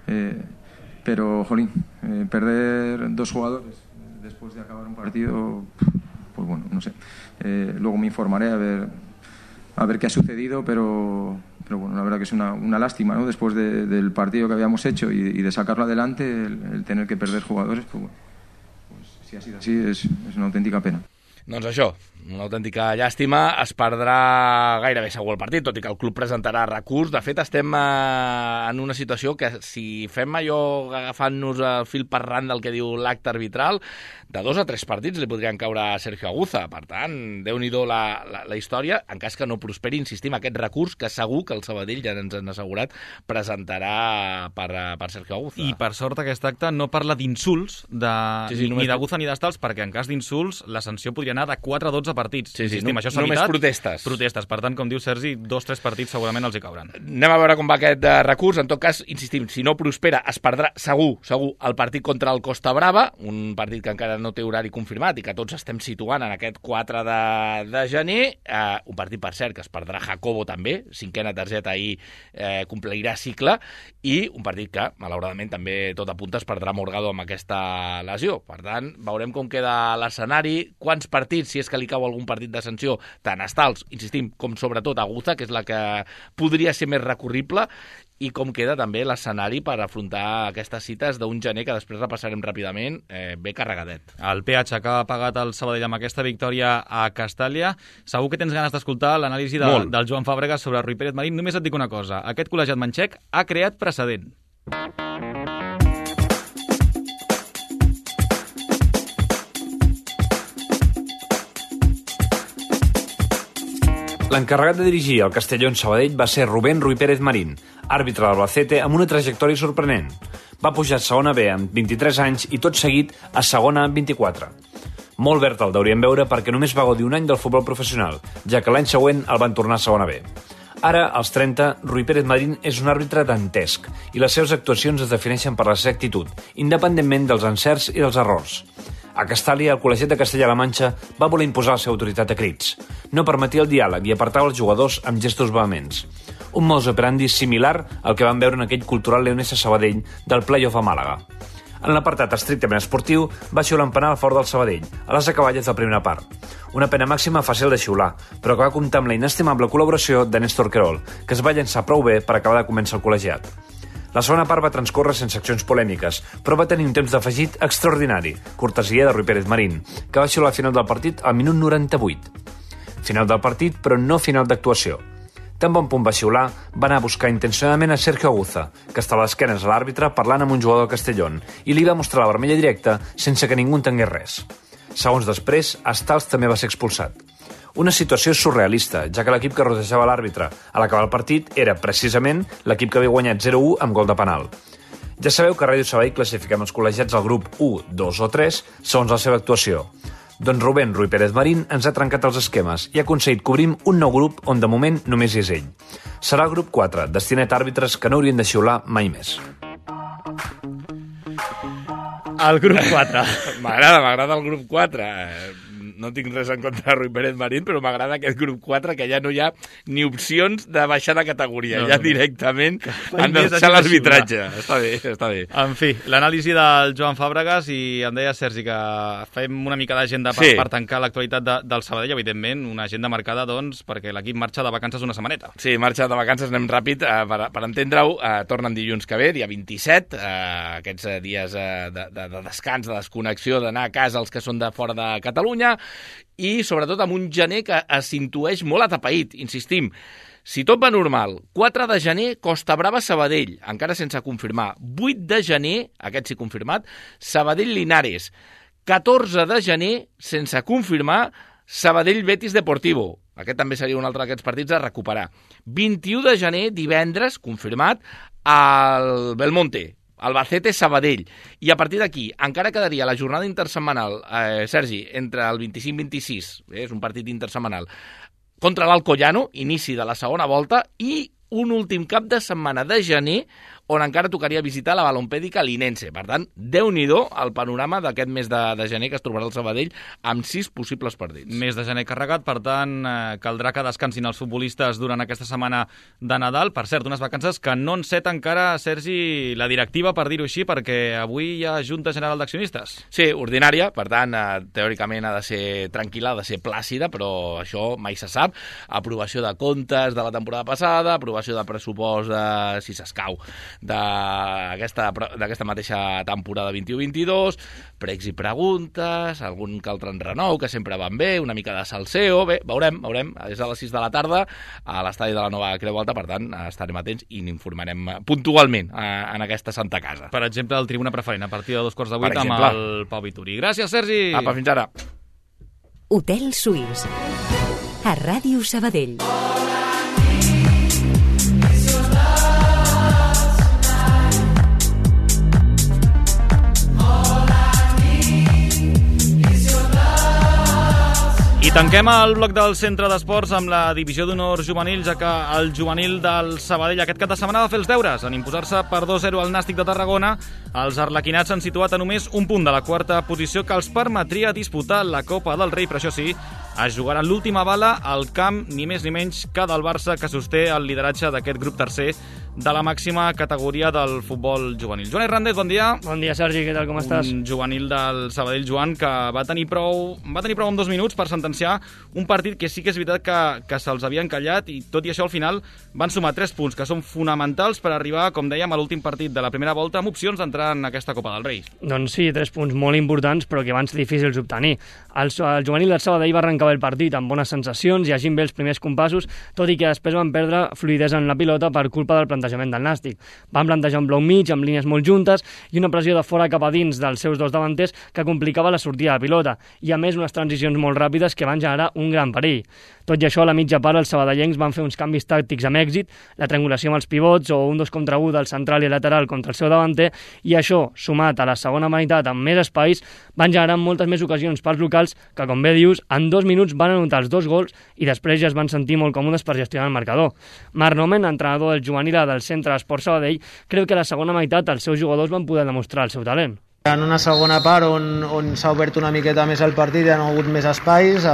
eh, pero, jolín, eh, perder dos jugadores después de acabar un partido, pues bueno, no sé. Eh, luego me informaré a ver, a ver qué ha sucedido, pero, pero bueno, la verdad que es una, una lástima, ¿no? Después de, del partido que habíamos hecho y, y de sacarlo adelante, el, el tener que perder jugadores, pues bueno, pues, si ha sido así, es, es una auténtica pena. Doncs això, una autèntica llàstima, es perdrà gairebé segur el partit, tot i que el club presentarà recurs. De fet, estem eh, en una situació que si fem allò agafant-nos el fil per ran del que diu l'acte arbitral, de dos a tres partits li podrien caure a Sergio Aguza. Per tant, déu-n'hi-do la, la, la història, en cas que no prosperi, insistim, aquest recurs que segur que el Sabadell, ja ens han assegurat, presentarà per, per Sergio Aguza. I per sort aquest acte no parla d'insults de, sí, sí, ni d'Aguza ni d'Estals, perquè en cas d'insults la sanció podria anar de quatre a dotze partits. Sí, sí, Insistim, no, això s'ha només evitat. protestes. Protestes. Per tant, com diu Sergi, dos o tres partits segurament els hi cauran. Anem a veure com va aquest uh, recurs. En tot cas, insistim, si no prospera, es perdrà segur, segur, el partit contra el Costa Brava, un partit que encara no té horari confirmat i que tots estem situant en aquest quatre de, de gener. Uh, un partit, per cert, que es perdrà Jacobo també, cinquena targeta ahir eh, complirà cicle, i un partit que, malauradament, també tot apunta es perdrà Morgado amb aquesta lesió. Per tant, veurem com queda l'escenari, quants partits, si és que li cau algun partit de sanció, tant estals, insistim, com sobretot Aguza, que és la que podria ser més recurrible, i com queda també l'escenari per afrontar aquestes cites d'un gener que després repassarem ràpidament, eh, bé carregadet. El peatge que ha pagat el Sabadell amb aquesta victòria a Castàlia. Segur que tens ganes d'escoltar l'anàlisi de, del Joan Fàbregas sobre Rui Pérez Marín. Només et dic una cosa, aquest col·legiat manxec ha creat precedent. L'encarregat de dirigir el Castellón Sabadell va ser Rubén Rui Pérez Marín, àrbitre d'Albacete amb una trajectòria sorprenent. Va pujar a segona B amb vint-i-tres anys i tot seguit a segona amb vint-i-quatre. Molt verd el deurien veure perquè només va gaudir un any del futbol professional, ja que l'any següent el van tornar a segona B. Ara, als trenta, Rui Pérez Marín és un àrbitre dantesc i les seves actuacions es defineixen per la seva actitud, independentment dels encerts i dels errors. A Castàlia, el col·legiat de Castella-La Manxa va voler imposar la seva autoritat a crits. No permetia el diàleg i apartava els jugadors amb gestos vehements. Un modus operandi similar al que vam veure en aquell cultural leonès a Sabadell del play-off a Màlaga. En l'apartat estrictament esportiu, va xiular en penal a favor del Sabadell, a les acaballes de la primera part. Una pena màxima fàcil de xiular, però que va comptar amb la inestimable col·laboració de Néstor Querol, que es va llançar prou bé per acabar de començar el col·legiat. La segona part va transcórrer sense accions polèmiques, però va tenir un temps d'afegit extraordinari, cortesia de Rui Pérez Marín, que va xiular al final del partit al minut noranta-vuit. Final del partit, però no final d'actuació. Tan bon punt va xiular, va anar a buscar intencionadament a Sergio Aguza, que estava a l'esquenes a l'àrbitre parlant amb un jugador del Castellón, i li va mostrar la vermella directa sense que ningú entengués res. Segons després, Estals també va ser expulsat. Una situació surrealista, ja que l'equip que rodejava l'àrbitre a l'acabar el partit era, precisament, l'equip que havia guanyat zero a u amb gol de penal. Ja sabeu que a Ràdio Sabadell classifiquem els col·legiats al grup u, dos o tres segons la seva actuació. Doncs Rubén Rui Pérez Marín ens ha trencat els esquemes i ha aconseguit cobrir un nou grup on de moment només hi és ell. Serà el grup quatre, destinat a àrbitres que no haurien de xiular mai més. El grup quatre. M'agrada, m'agrada el grup quatre. No tinc res en contra de Rui Pérez Marín, però m'agrada aquest grup quatre, que ja no hi ha ni opcions de baixar de categoria. No, ja no, directament han de deixar l'arbitratge. Està bé, està bé. En fi, l'anàlisi del Joan Fàbregas, i em deia, Sergi, que fem una mica d'agenda per, sí. per tancar l'actualitat de, del Sabadell, evidentment, una agenda marcada, doncs, perquè l'equip marxa de vacances una setmaneta. Sí, marxa de vacances, anem ràpid, eh, per, per entendre-ho, eh, tornen dilluns que ve, dia vint-i-set, eh, aquests eh, dies eh, de, de, de descans, de desconnexió, d'anar a casa els que són de fora de Catalunya, i sobretot amb un gener que es intueix molt atapeït, insistim. Si tot va normal, quatre de gener, Costa Brava, Sabadell, encara sense confirmar. vuit de gener, aquest sí confirmat, Sabadell, Linares. catorze de gener, sense confirmar, Sabadell, Betis Deportivo. Aquest també seria un altre d'aquests partits a recuperar. vint-i-u de gener, divendres, confirmat, al Belmonte. Albacete, Sabadell. I a partir d'aquí encara quedaria la jornada intersetmanal, eh, Sergi, entre el vint-i-cinc vint-i-sis, eh, és un partit intersetmanal, contra l'Alcoyano, inici de la segona volta, i un últim cap de setmana de gener on encara tocaria visitar la balompèdica linense. Per tant, déu-n'hi-do el panorama d'aquest mes de, de gener que es trobarà el Sabadell amb sis possibles partits. Mes de gener carregat, per tant, eh, caldrà que descansin els futbolistes durant aquesta setmana de Nadal. Per cert, unes vacances que no enceta encara, Sergi, la directiva, per dir-ho així, perquè avui hi ha Junta General d'Accionistes. Sí, ordinària, per tant, eh, teòricament ha de ser tranquil·la, ha de ser plàcida, però això mai se sap. Aprovació de comptes de la temporada passada, aprovació de pressupost de, si s'escau, d'aquesta d'aquesta mateixa temporada vint-i-u vint-i-dos, pregs i preguntes, algun que altre enrenou, que sempre van bé, una mica de salseo, bé, veurem, veurem, és a les sis de la tarda a l'estadi de la Nova Creu Alta, per tant, estarem atents i n'informarem puntualment en aquesta santa casa. Per exemple, el Tribuna Preferent, a partir de dos quarts de vuit amb el Pau Vituri. Gràcies, Sergi! Apa, fins ara! Hotel Suís, a Ràdio Sabadell. tanquem el bloc del centre d'esports amb la divisió d'honor juvenil, ja que el juvenil del Sabadell aquest cap de setmana va fer els deures. En imposar-se per dos a zero al Nàstic de Tarragona, els arlequinats s'han situat a només un punt de la quarta posició que els permetria disputar la Copa del Rei, però això sí, es jugaran l'última bala al camp ni més ni menys que del Barça, que sosté el lideratge d'aquest grup tercer de la màxima categoria del futbol juvenil. Joan Hernández, bon dia. Bon dia, Sergi, què tal, com estàs? Un juvenil del Sabadell, Joan, que va tenir prou, va tenir prou en dos minuts per sentenciar un partit que sí que és veritat que, que se'ls havia encallat, i tot i això al final van sumar tres punts que són fonamentals per arribar, com dèiem, a l'últim partit de la primera volta amb opcions d'entrar en aquesta Copa del Rei. Doncs sí, tres punts molt importants, però que van ser difícils d'obtenir. El, el juvenil del Sabadell va arrencar bé el partit amb bones sensacions, llegint bé els primers compassos, tot i que després van perdre fluïdesa en la pilota per culpa del plantejament del Nàstic. Van plantejar un bloc mig amb línies molt juntes i una pressió de fora cap a dins dels seus dos davanters que complicava la sortida de pilota, i a més unes transicions molt ràpides que van generar un gran perill. Tot i això, a la mitja part, els sabadellencs van fer uns canvis tàctics amb èxit, la triangulació amb els pivots o un dos contra u del central i lateral contra el seu davanter, i això, sumat a la segona meitat amb més espais, van generar moltes més ocasions pels locals que, com bé dius, en dos minuts van anotar els dos gols i després ja es van sentir molt còmodes per gestionar el marcador. Marc Nomen, entrenador del juvenil del Centre d'Esports Sabadell, creu que a la segona meitat els seus jugadors van poder demostrar el seu talent. En una segona part on, on s'ha obert una miqueta més el partit, hi ha hagut més espais, eh,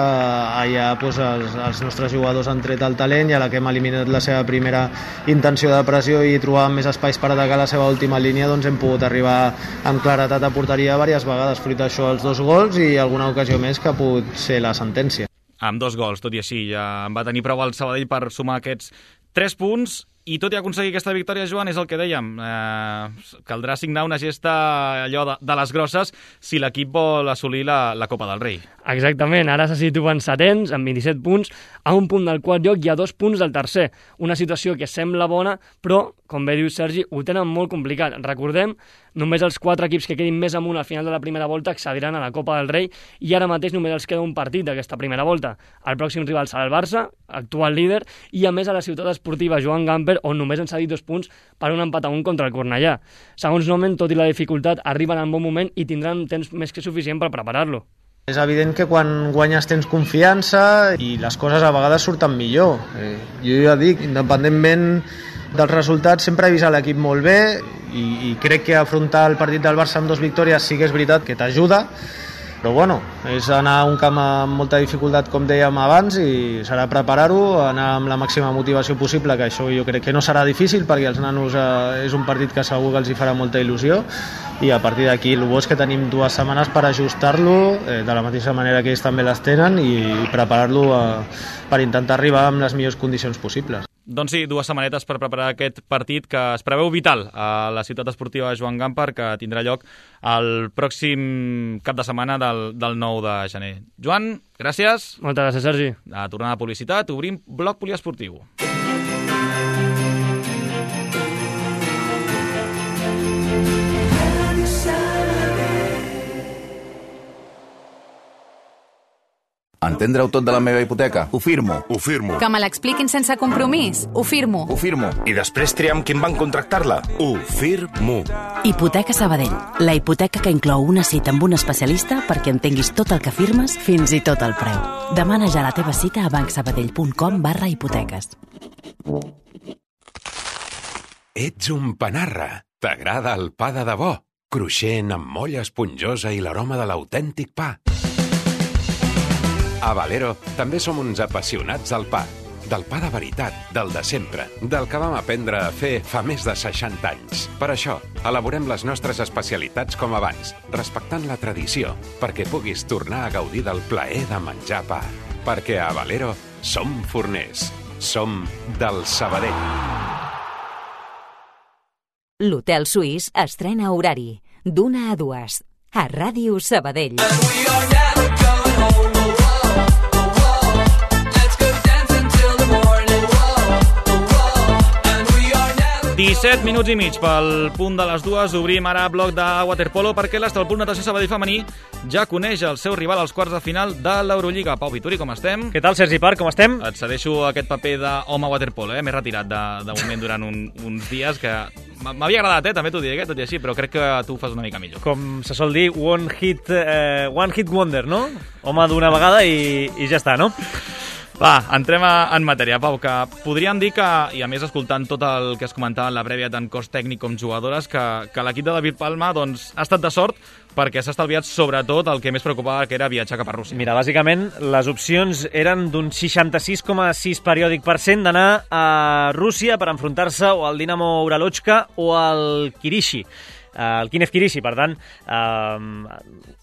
allà doncs, els, els nostres jugadors han tret el talent, i a la que hem eliminat la seva primera intenció de pressió i trobàvem més espais per atacar la seva última línia, doncs hem pogut arribar amb claretat a porteria diverses vegades, fruit d'això els dos gols i alguna ocasió més que ha pogut ser la sentència. Amb dos gols, tot i així, ja en va tenir prou el Sabadell per sumar aquests tres punts. I tot i aconseguir aquesta victòria, Joan, és el que dèiem, eh, caldrà signar una gesta allò de, de les grosses si l'equip vol assolir la, la Copa del Rei. Exactament, ara se situen setens amb vint-i-set punts, a un punt del quart lloc i a dos punts del tercer. Una situació que sembla bona, però, com bé diu Sergi, ho tenen molt complicat. Recordem, només els quatre equips que quedin més amunt al final de la primera volta accediran a la Copa del Rei, i ara mateix només els queda un partit d'aquesta primera volta. El pròxim rival serà el Barça, actual líder, i a més a la ciutat esportiva Joan Gamper, on només han cedit dos punts per un empat a un contra el Cornellà. Segons Nomen, tot i la dificultat, arriben en bon moment i tindran temps més que suficient per preparar-lo. És evident que quan guanyes tens confiança i les coses a vegades surten millor. Eh, jo ja dic, independentment dels resultats, sempre he vist l'equip molt bé i, i crec que afrontar el partit del Barça amb dos victòries sí que és veritat que t'ajuda, però bueno, és anar a un camp amb molta dificultat, com dèiem abans, i serà preparar-ho, anar amb la màxima motivació possible, que això jo crec que no serà difícil, perquè els nanos eh, és un partit que segur que els hi farà molta il·lusió, i a partir d'aquí el bo és que tenim dues setmanes per ajustar-lo eh, de la mateixa manera que ells també les tenen, i preparar-lo eh, per intentar arribar amb les millors condicions possibles. Doncs sí, dues setmanetes per preparar aquest partit que es preveu vital a la ciutat esportiva Joan Gamper, que tindrà lloc el pròxim cap de setmana del, del nou de gener. Joan, gràcies. Moltes gràcies, Sergi. A tornar a publicitat, obrim bloc poliesportiu. Entendre-ho tot de la meva hipoteca? Ho firmo. Ho firmo. Que me l'expliquin sense compromís? Ho firmo. Ho firmo. I després triar amb qui em van contractar-la? Ho firmo. Hipoteca Sabadell. La hipoteca que inclou una cita amb un especialista perquè entenguis tot el que firmes, fins i tot el preu. Demana ja la teva cita a bancsabadell.com barra hipoteques. Ets un panarra. T'agrada el pa de debò? Cruixent, amb molla esponjosa i l'aroma de l'autèntic pa. A Valero també som uns apassionats del pa. Del pa de veritat, del de sempre, del que vam aprendre a fer fa més de seixanta anys. Per això, elaborem les nostres especialitats com abans, respectant la tradició, perquè puguis tornar a gaudir del plaer de menjar pa. Perquè a Valero som forners. Som del Sabadell. L'Hotel Suís estrena horari, d'una a dues, a Ràdio Sabadell. disset minuts i mig pel punt de les dues. Obrim ara bloc de waterpolo perquè l'Estralpol Natació Sabadell femení ja coneix el seu rival als quarts de final de l'Eurolliga. Pau Vituri, com estem? Què tal, Sergi Parc, com estem? Et cedeixo aquest paper d'home waterpolo, eh? M'he retirat de, de moment durant un, uns dies que m'havia agradat, eh? També t'ho diré, tot i així, però crec que tu ho fas una mica millor. Com se sol dir, one hit, eh, one hit wonder, no? Home d'una vegada i, i ja està, no? Va, entrem en matèria, Pau, que podríem dir que, i a més escoltant tot el que es comentava en la prèvia tant cos tècnic com jugadores, que, que l'equip de David Palma doncs, ha estat de sort perquè s'ha estalviat sobretot el que més preocupava, que era viatjar cap a Rússia. Mira, bàsicament les opcions eren d'un seixanta-sis coma sis periòdic per cent d'anar a Rússia per enfrontar-se o al Dinamo Uralochka o al Kirishi, el Kinev Kirishi, per tant... Eh,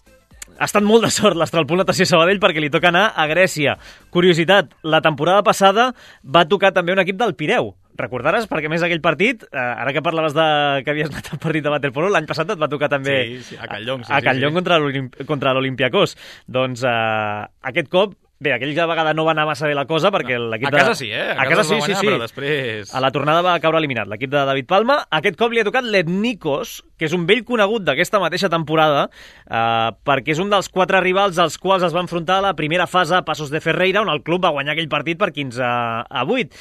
ha estat molt de sort l'Estralpol Natació Sabadell perquè li toca anar a Grècia. Curiositat, la temporada passada va tocar també un equip del Pireu. Recordaràs, perquè més aquell partit, eh, ara que parlaves de que havies anat al partit de waterpolo, l'any passat et va tocar també sí, sí, a Catlllong, sí, a Catlllong sí, sí. contra l'Olympiakos. Doncs eh, aquest cop, bé, aquella vegada no va anar massa bé la cosa perquè l'equip de... A casa sí, eh? A, a casa, casa sí, guanyar, sí, sí. Però després... A la tornada va caure eliminat l'equip de David Palma. Aquest cop li ha tocat l'Etnikos, que és un vell conegut d'aquesta mateixa temporada, eh, perquè és un dels quatre rivals als quals es va enfrontar a la primera fase a Passos de Ferreira, on el club va guanyar aquell partit per quinze a vuit.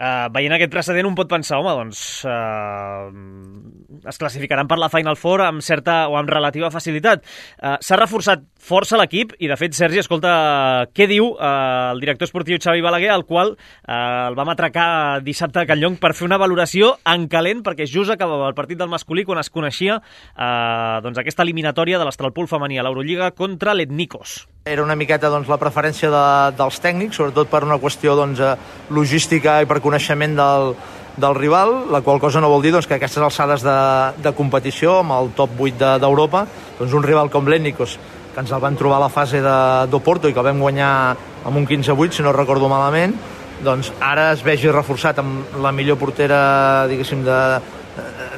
Uh, veient aquest precedent un pot pensar, home, doncs uh, es classificaran per la Final Four amb certa o amb relativa facilitat. Uh, S'ha reforçat força l'equip i, de fet, Sergi, escolta, què diu uh, el director esportiu Xavi Balaguer, al qual uh, el vam atracar dissabte a Catlllong per fer una valoració en calent, perquè just acabava el partit del masculí quan es coneixia uh, doncs, aquesta eliminatòria de l'Estralpol femení a l'Eurolliga contra l'Etnikos. Era una miqueta doncs, la preferència de, dels tècnics, sobretot per una qüestió doncs, logística i per coneixement del, del rival, la qual cosa no vol dir doncs, que aquestes alçades de, de competició, amb el top vuit d'Europa, de, doncs un rival com l'Etnikos, que ens el van trobar a la fase d'Oporto i que el vam guanyar amb un quinze a vuit, si no recordo malament, doncs ara es vegi reforçat amb la millor portera, diguéssim, de,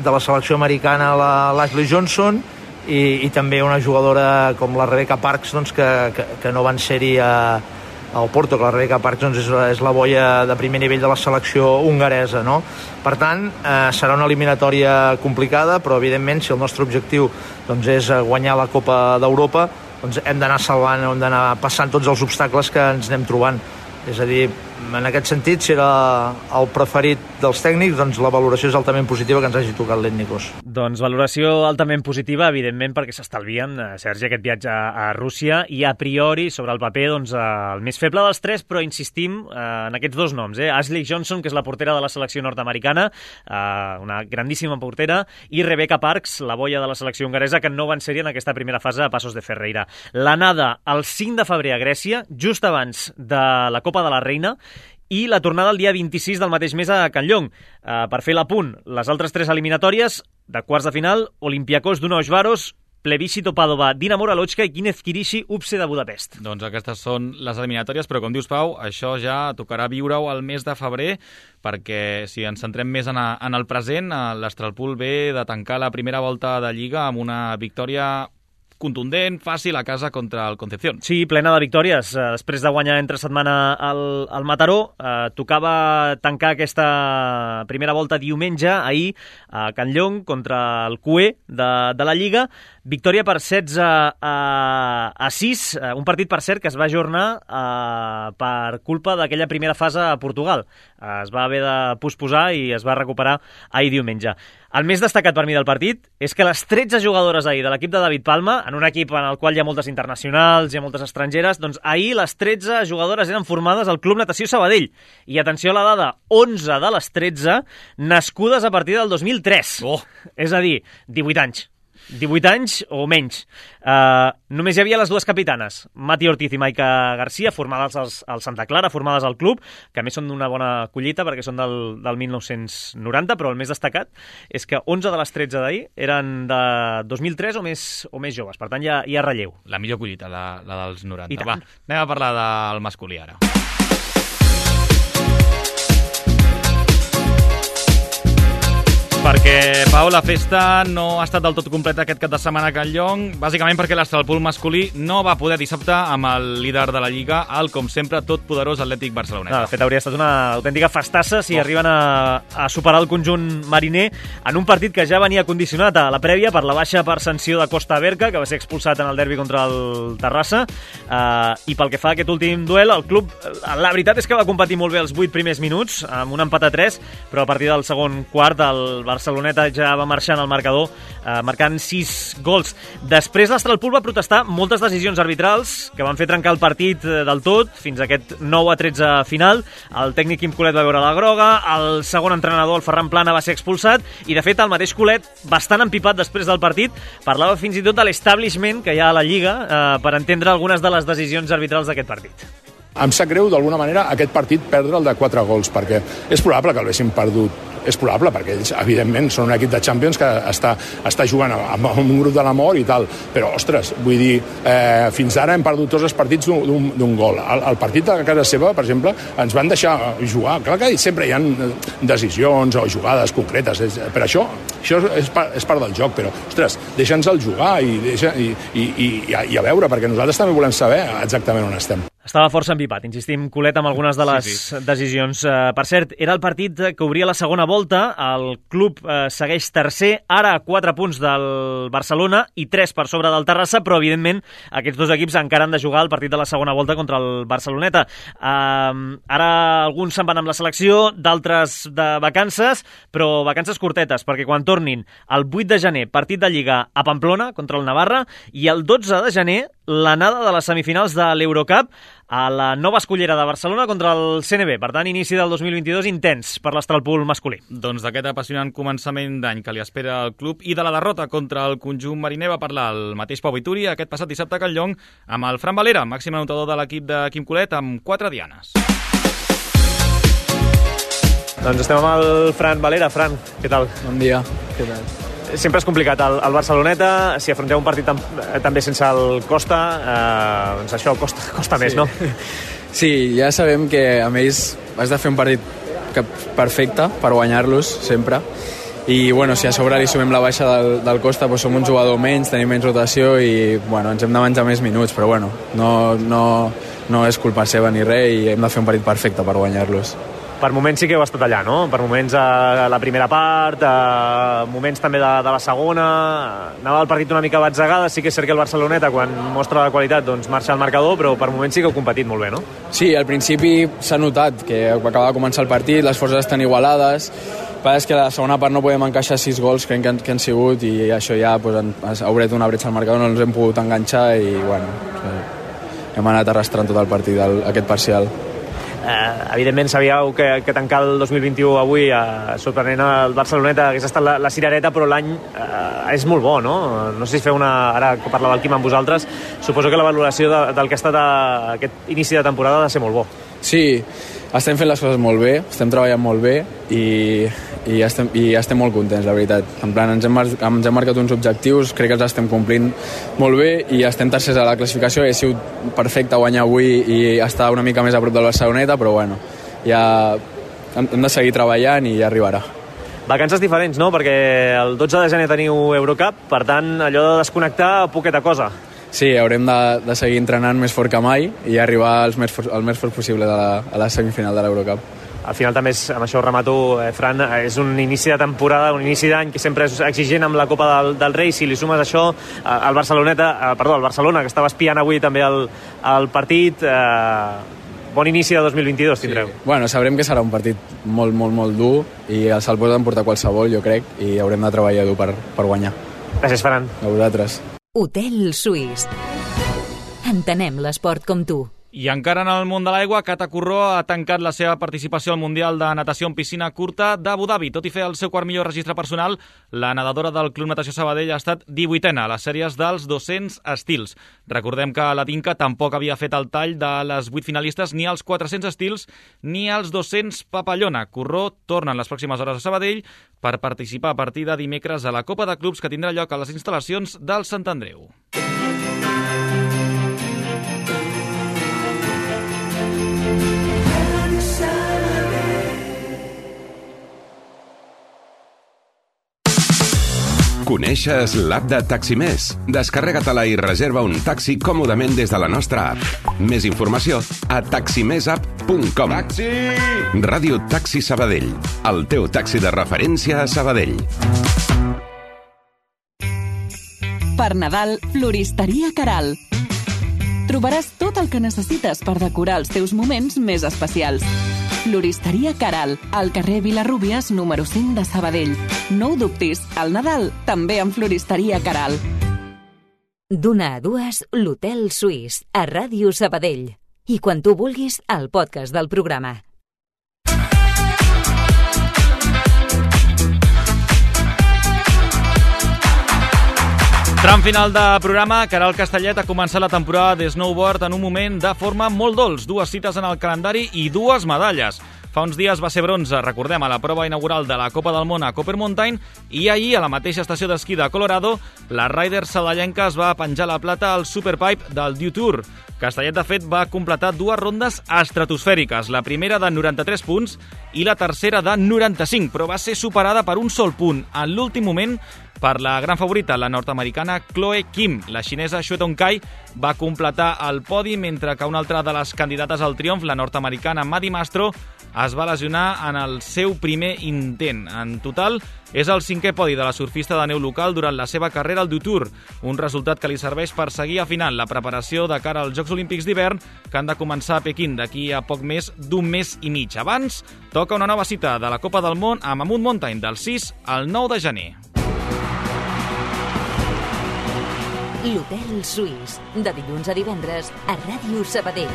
de la selecció americana, l'Ashley Johnson, I, i també una jugadora com la Rebecca Parks doncs, que, que, que no van ser-hi a, a Oporto, que la Rebecca Parks doncs, és, és la boia de primer nivell de la selecció hongaresa, no? Per tant, eh, serà una eliminatòria complicada, però evidentment si el nostre objectiu doncs, és guanyar la Copa d'Europa, doncs hem d'anar salvant, hem d'anar passant tots els obstacles que ens anem trobant. És a dir, en aquest sentit, si era el preferit dels tècnics, doncs la valoració és altament positiva que ens hagi tocat l'Etnikos. Doncs valoració altament positiva, evidentment, perquè s'estalvien, Sergi, aquest viatge a Rússia i a priori, sobre el paper, doncs, el més feble dels tres, però insistim en aquests dos noms, eh? Ashley Johnson, que és la portera de la selecció nord-americana, una grandíssima portera, i Rebecca Parks, la boia de la selecció hongaresa, que no van ser-hi en aquesta primera fase a Passos de Ferreira. L'anada el cinc de febrer a Grècia, just abans de la Copa de la Reina, i la tornada el dia vint-i-sis del mateix mes a Catlllong. Uh, per fer l'apunt, les altres tres eliminatòries de quarts de final, Olympiakos Dunausvaros, Plebiscito Padova, Dinamo Uralochka i Kinev Kirishi, U P S E de Budapest. Doncs aquestes són les eliminatòries, però com dius, Pau, això ja tocarà viure-ho al mes de febrer, perquè si ens centrem més en, a, en el present, l'Estralpol ve de tancar la primera volta de Lliga amb una victòria contundent, fàcil, a casa contra el Concepción. Sí, plena de victòries. Després de guanyar entre setmana al, al Mataró, eh, tocava tancar aquesta primera volta diumenge, ahir, a Catlllong, contra el Q E de, de la Lliga. Victòria per setze a sis, un partit, per cert, que es va ajornar eh, per culpa d'aquella primera fase a Portugal. Eh, es va haver de posposar i es va recuperar ahir diumenge. El més destacat per mi del partit és que les tretze jugadores ahir de l'equip de David Palma, en un equip en el qual hi ha moltes internacionals, hi ha moltes estrangeres, doncs ahir les tretze jugadores eren formades al Club Natació Sabadell. I atenció a la dada, onze de les tretze nascudes a partir del dos mil tres. Oh. És a dir, divuit anys. divuit anys o menys. Uh, només hi havia les dues capitanes, Mati Ortiz i Maika Garcia, formades als, al Santa Clara, formades al club, que a més són d'una bona collita perquè són del, del mil nou-cents noranta, però el més destacat és que onze de les tretze d'ahir eren de dos mil tres o més, o més joves, per tant hi ha, hi ha relleu. La millor collita, la, la dels noranta. Va, anem a parlar del masculí ara. perquè, Pau, la festa no ha estat del tot completa aquest cap de setmana a Can Llong, bàsicament perquè l'Estralpul masculí no va poder dissabte amb el líder de la Lliga, el, com sempre, tot poderós Atlètic Barceloneta. No, de fet, hauria estat una autèntica festassa si oh. arriben a, a superar el conjunt mariner en un partit que ja venia condicionat a la prèvia per la baixa per sanció de Costa Berca, que va ser expulsat en el derbi contra el Terrassa, uh, i pel que fa a aquest últim duel, el club, la veritat és que va competir molt bé els vuit primers minuts, amb un empat a tres, però a partir del segon quart el Barceloneta ja va marxant al marcador, eh, marcant sis gols. Després l'Estralpul va protestar moltes decisions arbitrals que van fer trencar el partit del tot fins a aquest nou a tretze final. El tècnic Quim Colet va veure la groga, el segon entrenador, el Ferran Plana, va ser expulsat i, de fet, el mateix Colet, bastant empipat després del partit, parlava fins i tot de l'establishment que hi ha a la Lliga eh, per entendre algunes de les decisions arbitrals d'aquest partit. Em sap greu, d'alguna manera, aquest partit perdre el de quatre gols, perquè és probable que l'haguessin perdut. És probable, perquè ells, evidentment, són un equip de Champions que està, està jugant amb, amb un grup de la mort i tal. Però, ostres, vull dir, eh, fins ara hem perdut tots els partits d'un gol. El, el partit de casa seva, per exemple, ens van deixar jugar. Clar que sempre hi ha decisions o jugades concretes. Per això, això és part, és part del joc, però, ostres, deixa'ns el jugar i, deixa, i, i, i, i a veure, perquè nosaltres també volem saber exactament on estem. Estava força empipat, insistim, Colet, amb algunes de les sí, sí. decisions. Uh, per cert, era el partit que obria la segona volta, el club uh, segueix tercer, ara a quatre punts del Barcelona i tres per sobre del Terrassa, però evidentment aquests dos equips encara han de jugar el partit de la segona volta contra el Barceloneta. Uh, ara alguns se'n van amb la selecció, d'altres de vacances, però vacances curtetes, perquè quan tornin el vuit de gener, partit de Lliga a Pamplona contra el Navarra, i el dotze de gener l'anada de les semifinals de l'Eurocup a la Nova Escullera de Barcelona contra el C N B. Per tant, inici del dos mil vint-i-dos intens per l'Estralpul masculí. Doncs d'aquest apassionant començament d'any que li espera al club i de la derrota contra el conjunt mariner va parlar el mateix Pau Vituri aquest passat dissabte a Can Llong amb el Fran Valera, màxim anotador de l'equip de Quim Colet, amb quatre dianes. Doncs estem amb el Fran Valera. Fran, què tal? Bon dia, què tal? Sempre és complicat el, el Barceloneta, si afronteu un partit tam, també sense el Costa, eh, doncs això costa, costa sí. més, no? Sí, ja sabem que amb ells has de fer un partit perfecte per guanyar-los sempre, i bueno, si a sobre li sumem la baixa del, del Costa, doncs som un jugador menys, tenim menys rotació i bueno, ens hem de menjar més minuts, però bueno, no, no, no és culpa seva ni res i hem de fer un partit perfecte per guanyar-los. Per moments sí que heu estat allà, no? Per moments a la primera part, a moments també de, de la segona, anava el partit una mica batzegada, sí que és cert que el Barceloneta, quan mostra la qualitat, doncs marxa al marcador, però per moments sí que heu competit molt bé, no? Sí, al principi s'ha notat que acaba de començar el partit, les forces estan igualades, però és que a la segona part no podem encaixar sis gols, crec que han, que han sigut, i això ja pues, ha obert una bretxa al marcador, no ens hem pogut enganxar i bueno, hem anat arrastrant tot el partit, el, aquest parcial. Eh, evidentment sabíeu que, que tancar el dos mil vint-i-u avui eh, sorprenent el Barceloneta hagués estat la, la cirereta, però l'any eh, és molt bo, no? No sé si feu una... Ara que parlava el Quim amb vosaltres, suposo que la valoració de, del que ha estat a, aquest inici de temporada ha de ser molt bo. Sí, estem fent les coses molt bé, estem treballant molt bé i, i, estem, i estem molt contents, la veritat. En plan, ens hem, ens hem marcat uns objectius, crec que els estem complint molt bé i estem tercers a la classificació. He sigut perfecte guanyar avui i estar una mica més a prop del Barceloneta, però bueno, ja hem de seguir treballant i ja arribarà. Vacances diferents, no? Perquè el dotze de gener teniu Eurocup, per tant, allò de desconnectar, poqueta cosa. Sí, haurem de, de seguir entrenant més fort que mai i arribar al més, for, el més fort possible de la, a la semifinal de l'Eurocup. Al final també, és, amb això ho remato, eh, Fran, és un inici de temporada, un inici d'any que sempre és exigent amb la Copa del, del Rei. Si li sumes això, eh, el Barceloneta, eh, perdó, el Barcelona, que estava espiant avui també el, el partit, eh, bon inici de dos mil vint-i-dos tindreu. Sí. Bueno, sabrem que serà un partit molt, molt, molt dur i el se'l pot emportar qualsevol, jo crec, i haurem de treballar dur per, per guanyar. Gràcies, Ferran. A vosaltres. Hotel Suís. Entenem l'esport com tu. I encara en el món de l'aigua, Cata Corró ha tancat la seva participació al Mundial de Natació en Piscina Curta d'Abu Dhabi. Tot i fer el seu quart millor registre personal, la nedadora del Club Natació Sabadell ha estat divuitena a les sèries dels dos-cents estils. Recordem que la Tinca tampoc havia fet el tall de les vuit finalistes ni als quatre-cents estils ni als dos-cents papallona. Corró torna en les pròximes hores a Sabadell per participar a partir de dimecres a la Copa de Clubs que tindrà lloc a les instal·lacions del Sant Andreu. Coneixes l'app de Taximés? Descarrega-te-la i reserva un taxi còmodament des de la nostra app. Més informació a taximessapp punt com. Taxi! Ràdio Taxi Sabadell, el teu taxi de referència a Sabadell. Per Nadal, Floristeria Caral. Trobaràs tot el que necessites per decorar els teus moments més especials. Floristeria Caral, al carrer Vilarrúbies, número cinc de Sabadell. No ho dubtis, al Nadal també amb Floristeria Caral. D'una a dues, l'Hotel Suís, a Ràdio Sabadell. I quan tu vulguis, el podcast del programa. Tram final de programa, Caral Castellet ha començat la temporada de snowboard en un moment de forma molt dolç. Dues cites en el calendari i dues medalles. Fa uns dies va ser bronze, recordem, a la prova inaugural de la Copa del Món a Copper Mountain, i ahir, a la mateixa estació d'esquí de Colorado, la rider saballenca es va penjar la plata al Superpipe del Dew Tour. Castellet, de fet, va completar dues rondes estratosfèriques, la primera de noranta-tres punts i la tercera de noranta-cinc, però va ser superada per un sol punt en l'últim moment per la gran favorita, la nord-americana Chloe Kim. La xinesa Xue Tongkai va completar el podi, mentre que una altra de les candidates al triomf, la nord-americana Maddie Mastro, es va lesionar en el seu primer intent. En total, és el cinquè podi de la surfista de neu local durant la seva carrera al Dew Tour, un resultat que li serveix per seguir afinant la preparació de cara als Jocs Olímpics d'hivern, que han de començar a Pequín d'aquí a poc més d'un mes i mig. Abans, toca una nova cita de la Copa del Món a Mammoth Mountain del sis al nou de gener. L'Hotel Suís, de dilluns a divendres, a Ràdio Sabadell.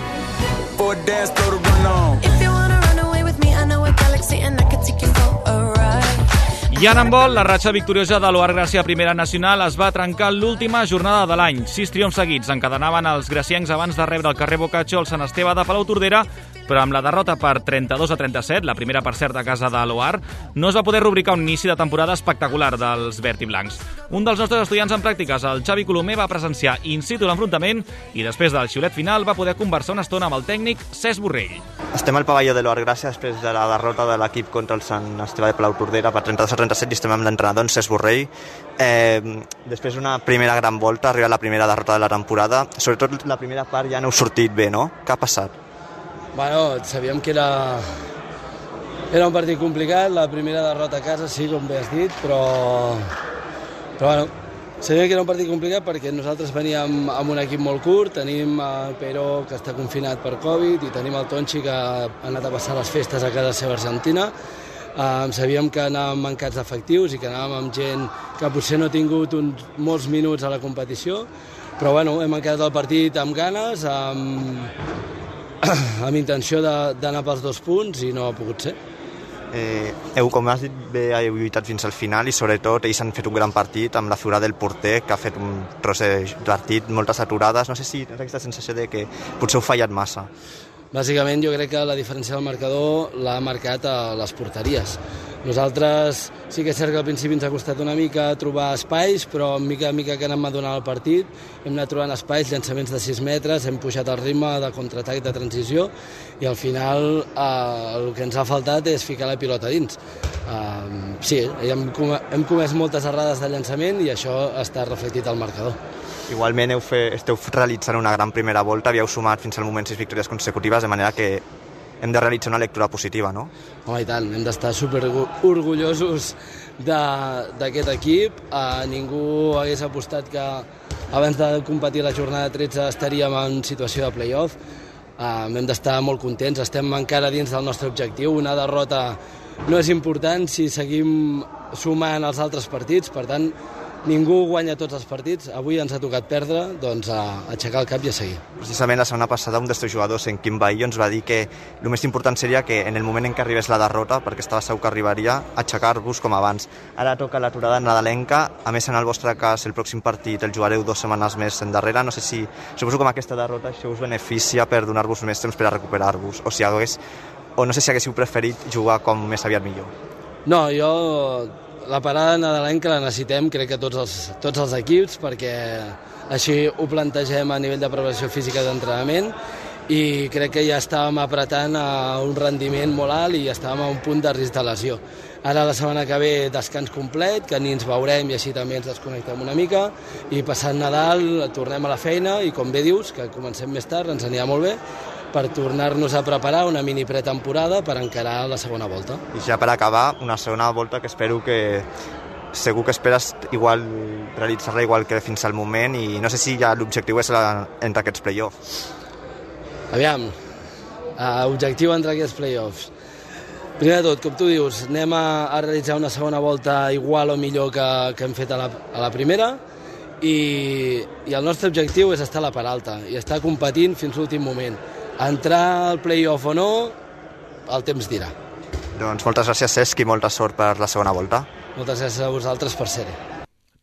I en handbol, la ratxa victoriosa de l'Oar Gràcia Primera Nacional es va trencar l'última jornada de l'any. Sis triomfs seguits encadenaven els graciencs abans de rebre el carrer Boccaccio al Sant Esteve de Palautordera, però amb la derrota per trenta-dos a trenta-set, la primera per cert a casa de l'Oar, no es va poder rubricar un inici de temporada espectacular dels verd i blancs. Un dels nostres estudiants en pràctiques, el Xavi Colomer, va presenciar in situ l'enfrontament i després del xiulet final va poder conversar una estona amb el tècnic Cesc Borrell. Estem al pavelló de l'Oar Gràcia després de la derrota de l'equip contra el Sant Esteve de Palautordera per trenta-dos a trenta-set i estem amb l'entrenador en Cesc Borrell. Eh, després d'una primera gran volta, arriba la primera derrota de la temporada. Sobretot la primera part ja no heu sortit bé, no? Què ha passat? Bueno, sabíem que era, era un partit complicat, la primera derrota a casa, sí, com bé has dit, però, però bueno, sabíem que era un partit complicat perquè nosaltres veníem amb un equip molt curt, tenim el Pero, que està confinat per Covid, i tenim el Tonchi, que ha anat a passar les festes a casa seva Argentina. Um, sabíem que anàvem mancats d'efectius i que anàvem amb gent que potser no ha tingut uns, molts minuts a la competició, però bueno, hem encarat el partit amb ganes, amb, amb intenció d'anar pels dos punts i no ha pogut ser. Eh, heu, com has dit, bé, heu lluitat fins al final i sobretot ells han fet un gran partit amb la figura del porter, que ha fet un tros de partit, moltes aturades. No sé si tens aquesta sensació de que potser heu fallat massa. Bàsicament jo crec que la diferència del marcador l'ha marcat a les porteries. Nosaltres sí que és cert que al principi ens ha costat una mica trobar espais, però mica a mica que anem madonant el partit hem anat trobant espais, llançaments de sis metres, hem pujat el ritme de contraatac de transició i al final eh, el que ens ha faltat és ficar la pilota dins. Eh, sí, hem, hem comès moltes errades de llançament i això està reflectit al marcador. Igualment heu fe, esteu realitzant una gran primera volta, havíeu sumat fins al moment sis victòries consecutives, de manera que hem de realitzar una lectura positiva, no? Home, i tant, hem d'estar super orgullosos d'aquest equip. Eh, ningú hagués apostat que abans de competir la jornada tretze estaríem en situació de play-off. Eh, hem d'estar molt contents, estem encara dins del nostre objectiu. Una derrota no és important si seguim sumant els altres partits, per tant, ningú guanya tots els partits. Avui ens ha tocat perdre, doncs a aixecar el cap i a seguir. Precisament la setmana passada un dels teus jugadors, en Quim Baillo, ens va dir que el més important seria que en el moment en què arribés la derrota, perquè estava segur que arribaria, aixecar-vos com abans. Ara toca l'aturada nadalenca, a més en el vostre cas el pròxim partit el jugareu dues setmanes més endarrere. No sé si, suposo que amb aquesta derrota això us beneficia per donar-vos més temps per a recuperar-vos, o si hagués, o no sé si haguéssiu preferit jugar com més aviat millor. No, jo la parada nadalenca la necessitem, crec que tots els, tots els equips, perquè així ho plantegem a nivell de preparació física d'entrenament i crec que ja estàvem apretant a un rendiment molt alt i estàvem a un punt de risc de lesió. Ara la setmana que ve descans complet, que ni ens veurem i així també ens desconnectem una mica, i passant Nadal tornem a la feina i com bé dius, que comencem més tard, ens anirà molt bé, per tornar-nos a preparar una mini pretemporada per encarar la segona volta. I ja per acabar, una segona volta que espero que segur que esperes igual realitzar-la igual que fins al moment i no sé si ja l'objectiu és la, entre aquests play-offs. Aviam, uh, objectiu entre aquests play-offs. Primer de tot, com tu dius, anem a, a realitzar una segona volta igual o millor que, que hem fet a la, a la primera i, i el nostre objectiu és estar a la part alta i estar competint fins l'últim moment. Entrar al play-off o no, el temps dirà. Doncs moltes gràcies, Cesc, i molta sort per la segona volta. Moltes gràcies a vosaltres per ser-hi.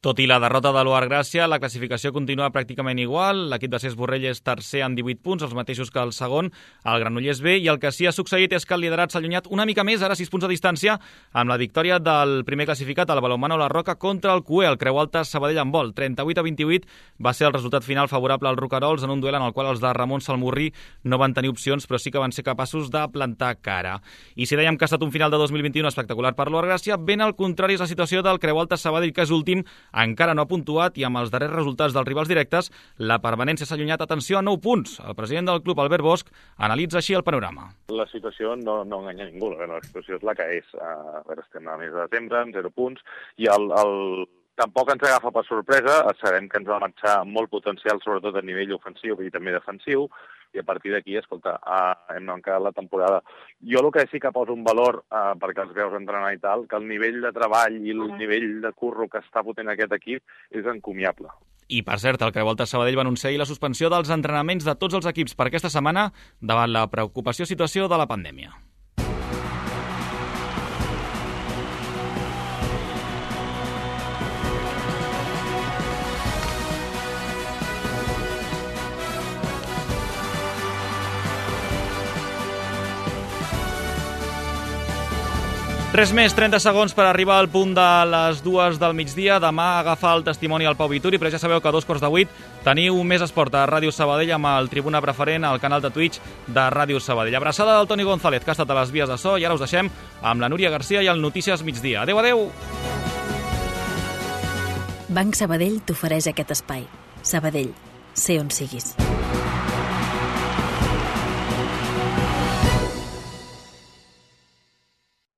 Tot i la derrota de l'U A R Gràcia, la classificació continua pràcticament igual. L'equip de Cesc Borrell és tercer amb divuit punts, els mateixos que el segon, el Granollers B, i el que sí ha succeït és que el liderat s'ha allunyat una mica més, ara sis punts de distància, amb la victòria del primer classificat, el Balonmano La Roca, contra el C U E, el Creu Alta Sabadell en vol. trenta-vuit a vint-i-vuit va ser el resultat final favorable als Roquerols en un duel en el qual els de Ramon Salmurri no van tenir opcions, però sí que van ser capaços de plantar cara. I si dèiem que ha estat un final de dos mil vint-i-u espectacular per l'U A R Gràcia, ben al contrari és la situació del Creu Alta Sabadell, que és últim, encara no ha puntuat, i amb els darrers resultats dels rivals directes, la permanència s'ha allunyat, atenció, a nou punts. El president del club, Albert Bosch, analitza així el panorama. La situació no, no enganya ningú, la situació és la que és. A veure, estem a mes de desembre, amb zero punts, i el, el... tampoc ens agafa per sorpresa, sabem que ens va marxar molt potencial, sobretot a nivell ofensiu i també defensiu, i a partir d'aquí, escolta, uh, hem encarat la temporada. Jo el que sí que poso un valor, uh, perquè els veus entrenar i tal, que el nivell de treball i el nivell de curro que està fotent aquest equip és encomiable. I, per cert, el Creu Alta Sabadell va anunciar la suspensió dels entrenaments de tots els equips per aquesta setmana davant la preocupació situació de la pandèmia. Res més, trenta segons per arribar al punt de les dues del migdia. Demà agafa el testimoni al Pau Vituri, però ja sabeu que a dos quarts de vuit teniu Més Esport a Ràdio Sabadell amb el Tribuna Preferent al canal de Twitch de Ràdio Sabadell. Abraçada del Toni González, que ha estat a les vies de so, i ara us deixem amb la Núria Garcia i el Notícies Migdia. Adéu, adéu! Banc Sabadell t'ofereix aquest espai. Sabadell, sé on siguis.